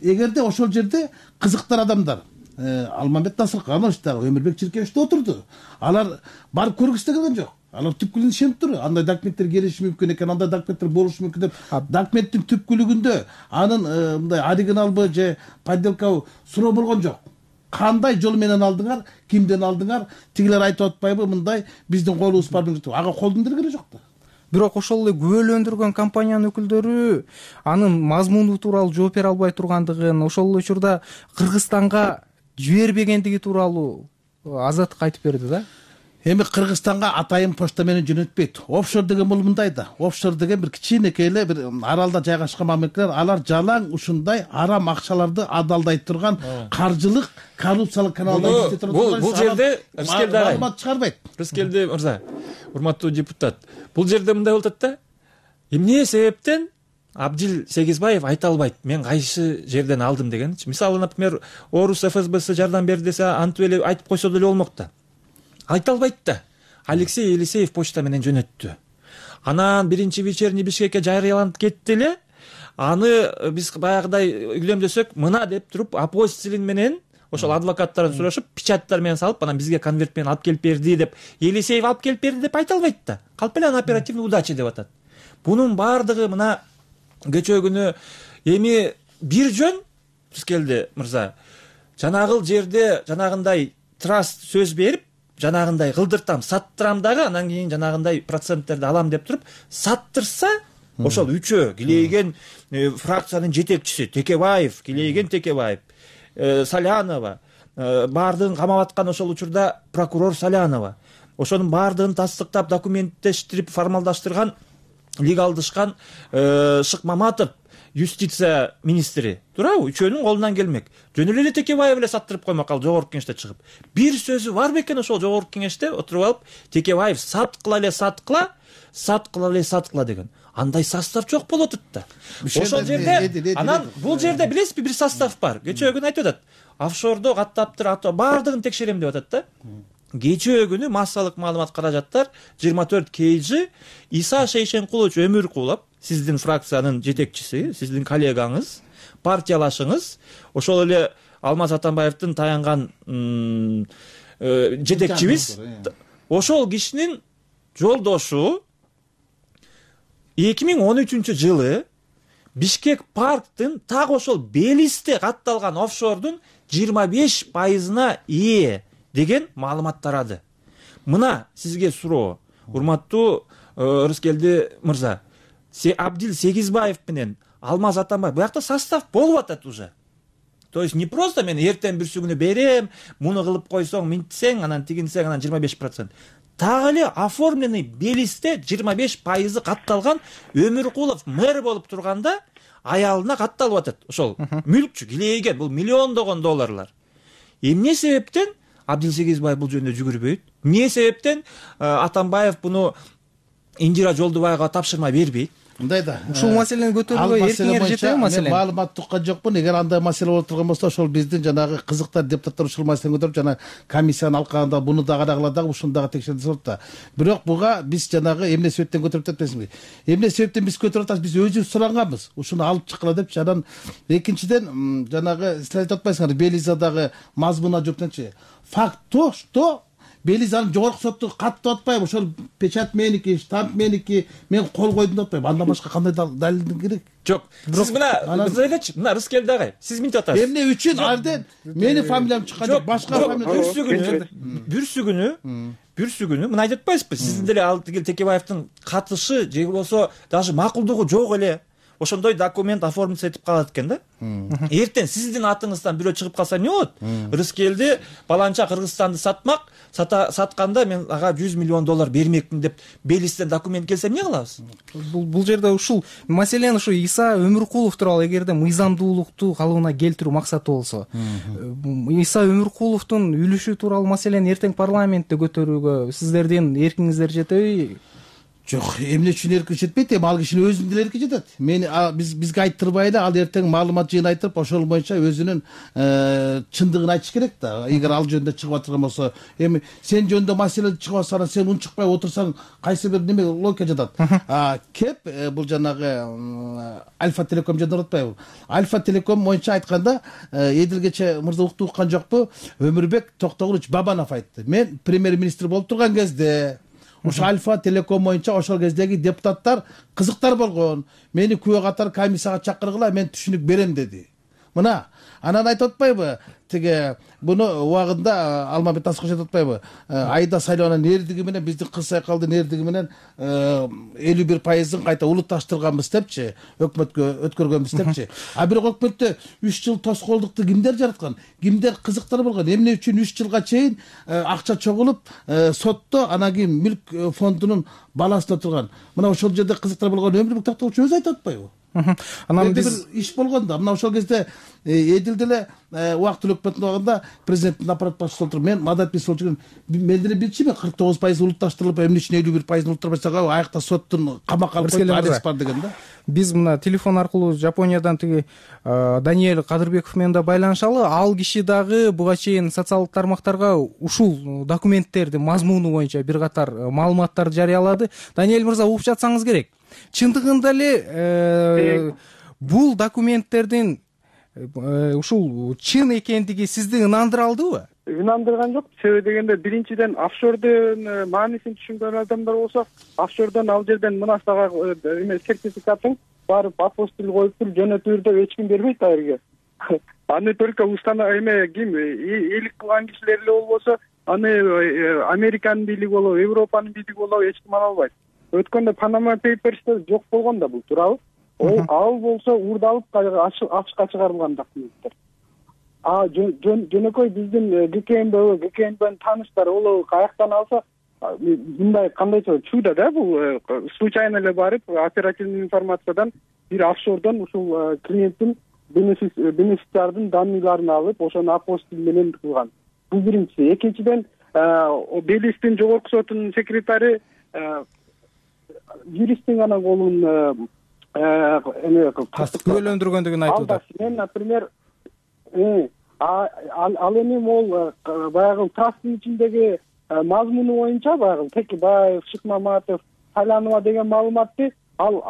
эгерде ошол жерде кызыктар адамдар, Алмамбет Насырканович дагы, Өмүрбек Чиркеевич да отурду. Алар барып көргүсү келген жок. Алар түпкүлүгүн ишенип тур. Андай документтер келиши мүмкүн экен, андай документтер болушу мүмкүн деп. Документтин түпкүлүгүндө анын мындай оригиналбы же подделкабы суроо болгон жок. Кандай жол менен алдыңар, кимден алдыңар, тигилер айтып атпайбы, мындай биздин колубуз бар деп. Ага колдун деле жок да. Бирок ошол эле күбөлөндүргөн компаниянын өкүлдөрү анын мазмуну тууралуу жооп бере албай тургандыгын, ошол эле учурда Кыргызстанга жибербегендиги тууралуу азаттык айтып берди да. Эми Кыргызстанга атайын почта менен жөнөтпөйт. Офшор деген бул мындай да. Офшор деген бир кичинекей эле бир аралда жайгашкан мамлекеттер, алар жалаң ушундай арам акчаларды адалдай турган каржылык, коррупциялык каналдар иштетип турат. Бул жерде Рыскелди агай, маалымат чыгарбайт. Рыскелди мырза, урматтуу депутат, бул жерде мындай болуп атат да. Эмне себептен Абдил Сегизбаев айта албайт, мен кайсы жерден алдым дегенчи. Мисалы, например, Орус ФСБсы жардам берди десе, антип эле айтып койсо деле болмок да. Айта албайт да. Алексей Елисеев почта менен жөнөттү. Анан биринчи вечерний Бишкекке жарыяланып кетти эле. Аны биз баягыдай үйлөмдөсөк, мына деп туруп, апостилин менен ошол адвокаттардан сурашып, печаттар менен салып, анан бизге конверт менен алып келип берди деп, Елисеев алып келип берди деп айта албайт да. Калп эле оперативный удача деп атат. Бунун баардыгы мына кечээ күнү эми бир жөн Рыскелди мырза, жанагыл жерде жанагындай траст сөз берип, жанагындай кылдыртам, саттырам дагы, анан кийин жанагындай проценттерди алам деп туруп саттырса, ошол үчөө Килейген фракциянын жетекчиси Текебаев, Килейген Текебаев, Салянова, баардыгын камап аткан ошол учурда прокурор Салянова, ошонун баардыгын тастыктап, документтештирип, формалдаштырган, легалдышкан Шыкмаматов, юстиция министри, туурабы? Үчөөнүн колунан келмек. Жөн эле Текебаев эле саттырып коймок, ал Жогорку Кеңеште чыгып. Бир сөзү бар бекен ошол Жогорку Кеңеште отуруп алып, Текебаев саткыла эле саткыла, саткыла эле саткыла деген. Андай состав жок болот да. Ошол жерде, анан бул жерде билесизби, бир состав бар. Кечээ күнү айтып атат. Офшордо каттаптыр, баардыгын текшерем деп атат да. Кечээ күнү массалык маалымат каражаттар 24 KG Иса Шейшенкулович Өмүркулов, сиздин фракциянын жетекчиси, сиздин коллегаңыз, партиялашыңыз, ошол эле Алмаз Атамбаевдин таянган жетекчибиз, ошол кишинин жолдошу 2013-жылы Бишкек парктын так ошол Белисте катталган офшордун 25%-на ээ деген маалымат тарады. Мына сизге суроо, урматтуу Рыскелди мырза, Абдил Сегизбаев менен Алмаз Атамбаев буякта состав болуп атат уже. То есть не просто мен эртең бүрсү күнү берем, муну кылып койсоң, минтсең, анан тигинсең, анан 25%. Так эле оформленный Белисте 25% катталган Өмүркулов мэр болуп турганда аялына катталып атат. Ошол мүлкчү Килейген, бул миллиондогон долларлар. Эмне себептен Абдил Сегизбаев бул жөнүндө жүгүрбөйт? Эмне себептен Атамбаев буну Индира Жолдубаева тапшырма бербейт. Мындай да ушул маселени көтөрүүгө эркиңер жетеби маселен? Мен маалымат уккан жокмун. Эгер андай маселе болуп турган болсо, ошол биздин жанагы кызыктар депутаттар ушул маселени көтөрүп, жана комиссияны алкаганда буну да карагыла дагы ушуну дагы текшерди болот да. Бирок буга биз жанагы эмне себептен көтөрүп атпайсызбы? Эмне себептен биз көтөрүп атабыз? Биз өзүбүз суранганбыз. Ушуну алып чыккыла депчи. Анан экинчиден жанагы сиз айтып атпайсыңарбы, Белизадагы мазмуна жоопчу. Факт то, что Белизанын жогорку соту каттып атпайбы? Ошол печать меники, штамп меники, мен кол койдум деп атпайбы? Андан башка кандай далилдин керек? Жок. Сиз мына Рыскелди агай, сиз мынтип атасыз. Эмне үчүн алден мени фамилиям чыккан жок, башка фамилия. Бүрсүгүнү мына айтып атпайсызбы? Сиздин деле ал тигил Текебаевдин катышы же болбосо даже макулдугу жок эле. Ошондой документ оформиться этип калат экен да. Эртең сиздин атыңыздан бирөө чыгып калса эмне болот? Рыскелди баланча Кыргызстанды сатмак, сатканда мен ага $100 миллион бермекмин деп Белистен документ келсе эмне кылабыз? Бул жерде ушул маселени ушу Иса Өмүркулов тууралуу эгерде мыйзамдуулукту калыбына келтирүү максаты болсо, Иса Өмүркуловдун үлүшү тууралуу маселени эртең парламентте көтөрүүгө сиздердин эркиңиздер жетеби? Жок, эмне үчүн эркин жетпейт? Эми ал кишинин өзүнүн деле эрки жетет. Мени бизге айттырбай ал эртең маалымат жыйнайтып, ошол боюнча өзүнүн чындыгын айтыш керек да. Эгер ал жөнүндө чыгып атырган болсо, эми сен жөнүндө маселе чыгып атса, сен унчукпай отурсаң, кайсы бир неме логика жатат. Кеп бул жанагы Альфа Телеком жөнүндө атпайбы? Альфа Телеком боюнча айтканда, Эдилгече мырза уккан жокпу? Өмүрбек Токтогулович Бабанов айтты. Мен премьер-министр болуп турган кезде ушу Альфа Телеком боюнча ошол кездеги депутаттар кызыктар болгон. Мени күбө катары комиссияга чакыргыла, мен түшүнүк берем деди. Мына, анан айтып атпайбы? Тиги буну убагында Алмабек Тасыков айтып атпайбы? Айда Сайлоонун эрдиги менен биздин Кыз Сайкалдын эрдиги менен 51%-ын кайта улутташтырганбыз депчи, өкмөткө өткөргөнбүз депчи. А бирок өкмөттө 3 жыл тоскоолдукту кимдер жараткан? Кимдер кызыктар болгон? Эмне үчүн 3 жылга чейин акча чогулуп сотто анан кийин мүлк фондунун баласында турган? Мына ошол жерде кызыктар болгон Өмүрбек Токтогулович өзү айтып атпайбы? Анан биз иш болгон да. Мына ошол кезде Эдил деле убактылуу өкмөттүн убагында президенттин аппарат башчысы болуп туруп, мен мадат бисолчу, мен деле билчүмүн 49% улутташтырылып, эмне үчүн 51% улутташтырбайсак, аякта соттун камакка алып коюп арест бар деген да. Биз мына телефон аркылуу Жапониядан тиги Даниэль Кадырбеков менен да байланышалы. Ал киши дагы буга чейин социалдык тармактарга ушул документтердин мазмуну боюнча бир катар маалыматтарды жарыялады. Даниэль мырза, угуп жатсаңыз керек. Чындыгында эле бул документтердин ушул чын экендиги сизди ынандыра алдыбы? Ынандырган жок. Себеби дегенде, биринчиден офшордун маанисин түшүнгөн адамдар болсо, офшордон ал жерден мынасага сертификатын барып апостиль коюп туруп жөнөтүр деп эч ким бербейт а жерге. Аны только ким элик кылган кишилер эле болбосо, аны Американын бийлиги болобу, Европанын бийлиги болобу эч ким ала албайт. Өткөндө Panama Papers'те жок болгон да бул, туурабы? Ал болсо урдалып ачыкка чыгарылган документтер. Жөнөкөй биздин ГКМБнын тааныштары ол каяктан алса, мындай кандайча чуйда да, бул случайно эле барып оперативный информациядан бир офшордон ушул клиенттин бенефициардын данныйларын алып, ошону апостиль менен кылган. Бул биринчиси. Экинчиден, Белистин жогорку сотунун секретары юристтин гана колун күбөлөндүргөндүгүн айтылды. Мен, например, ал эми ол баягы трасттын ичиндеги мазмуну боюнча баягы Текебаев, Шыкмаматов, Сайланова деген маалыматты ал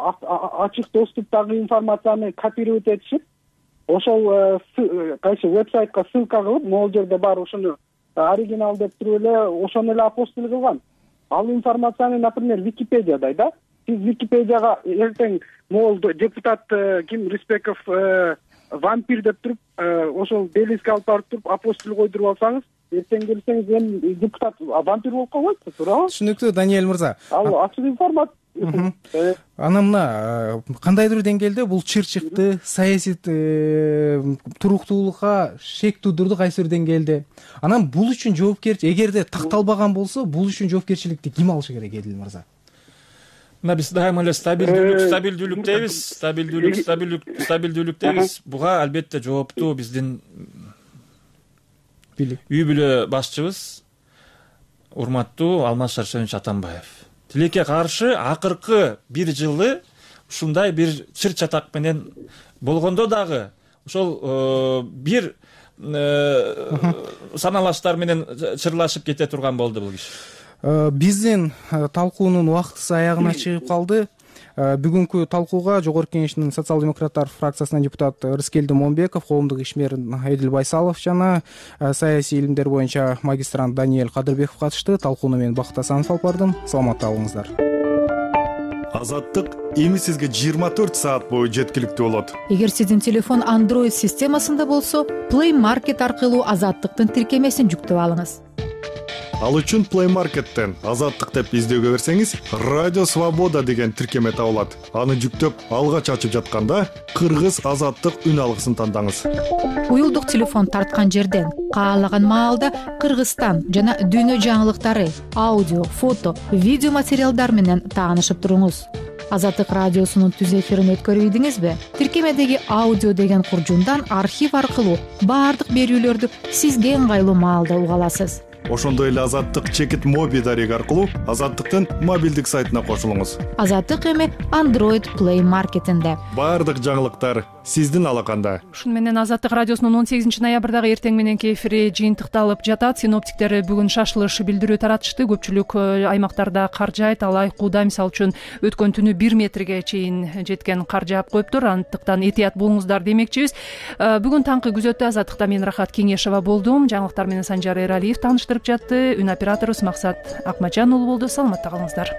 ачык доступтагы информацияны копировать этишип, ошол кайсы вебсайтка ссылка кылып, могул жерде бар ушуну оригинал деп туруп эле ошону эле апостиль кылган. Ал информацияны, например, Википедияда да. Сиз Википедияга эртең могул депутат ким Рыспеков вампир деп туруп, ошол Белиске алып барып туруп апостиль койдуруп алсаңыз, эртең келсеңиз эми депутат вампир болуп калбайт, туурабы? Түшүнүктүү, Даниэль мырза. Ал ачык информация. Анан мына кандайдыр деңгээлде бул чыр-чыкты, саясий туруктуулукка шек туудурду кайсы бир деңгээлде. Анан бул үчүн жоопкерчилик, эгерде такталбаган болсо, бул үчүн жоопкерчиликти ким алышы керек, Эдил мырза? Мына биз дайыма эле стабилдүүлүк дейбиз. Буга албетте жооптуу биздин үй бүлө башчыбыз урматтуу Алмаз Шаршенович Атамбаев. тилекке каршы акыркы бир жылы ушундай бир чыр чатак менен болгондо дагы ошол бир саналаштар менен чырлашып кете турган болду бул киши. Биздин талкуунун убактысы аягына чыгып калды. Бүгүнкү талкууга Жогорку Кеңештин социал демократтар фракциясынан депутат Рыскелди Момбеков, коомдук ишмер Эдил Байсалов жана саясий илимдер боюнча магистрант Даниэль Кадырбеков катышты. Талкууну мен Бакыт Асанов алып бардым. Саламатта болуңуздар. Азаттык эми сизге 24 саат бою жеткиликтүү болот. Эгер сиздин телефон Android системасында болсо, Play Market аркылуу Азаттыктын тиркемесин жүктөп алыңыз. Ал үчүн Play Market'тен Азаттык деп издөөгө берсеңиз, Радио Свобода деген тиркеме табылат. Аны жүктөп алгач ачып жатканда Кыргыз Азаттык үн алгысын тандаңыз. Уюлдук телефон тарткан жерден каалаган маалда Кыргызстан жана дүйнө жаңылыктары, аудио, фото, видео материалдар менен таанышып туруңуз. Азаттык радиосунун түз эфирин өткөрүп ийдиңизби? Тиркемедеги аудио деген куржундан архив аркылуу баардык берүүлөрдү сизге ыңгайлуу маалда уга аласыз. Ошондой эле Азаттык чекит моби дареги аркылуу Азаттыктын мобилдик сайтына кошулуңуз. Азаттык эми Android Play Market'инде. Баардык жаңылыктар сиздин алаканда. Ушун менен Азаттык радиосунун 18 ноябрдагы эртең мененки эфири жыйынтыкталып жатат. Синоптиктер бүгүн шашылыш билдирүү таратышты. Көпчүлүк аймактарда кар жаайт. Ал Айкууда мисалы үчүн өткөн түнү 1 метрге чейин жеткен кар жаап коюптур. Андыктан этият болуңуздар демекчибиз. Бүгүн таңкы күзөттө Азаттыкта мен Рахат Кеңешова болдум. Жаңылыктар менен Санжар Эралиев тааныштырып жатты. Үн операторубуз Максат Акмаджан уулу болду. Саламатта калыңыздар.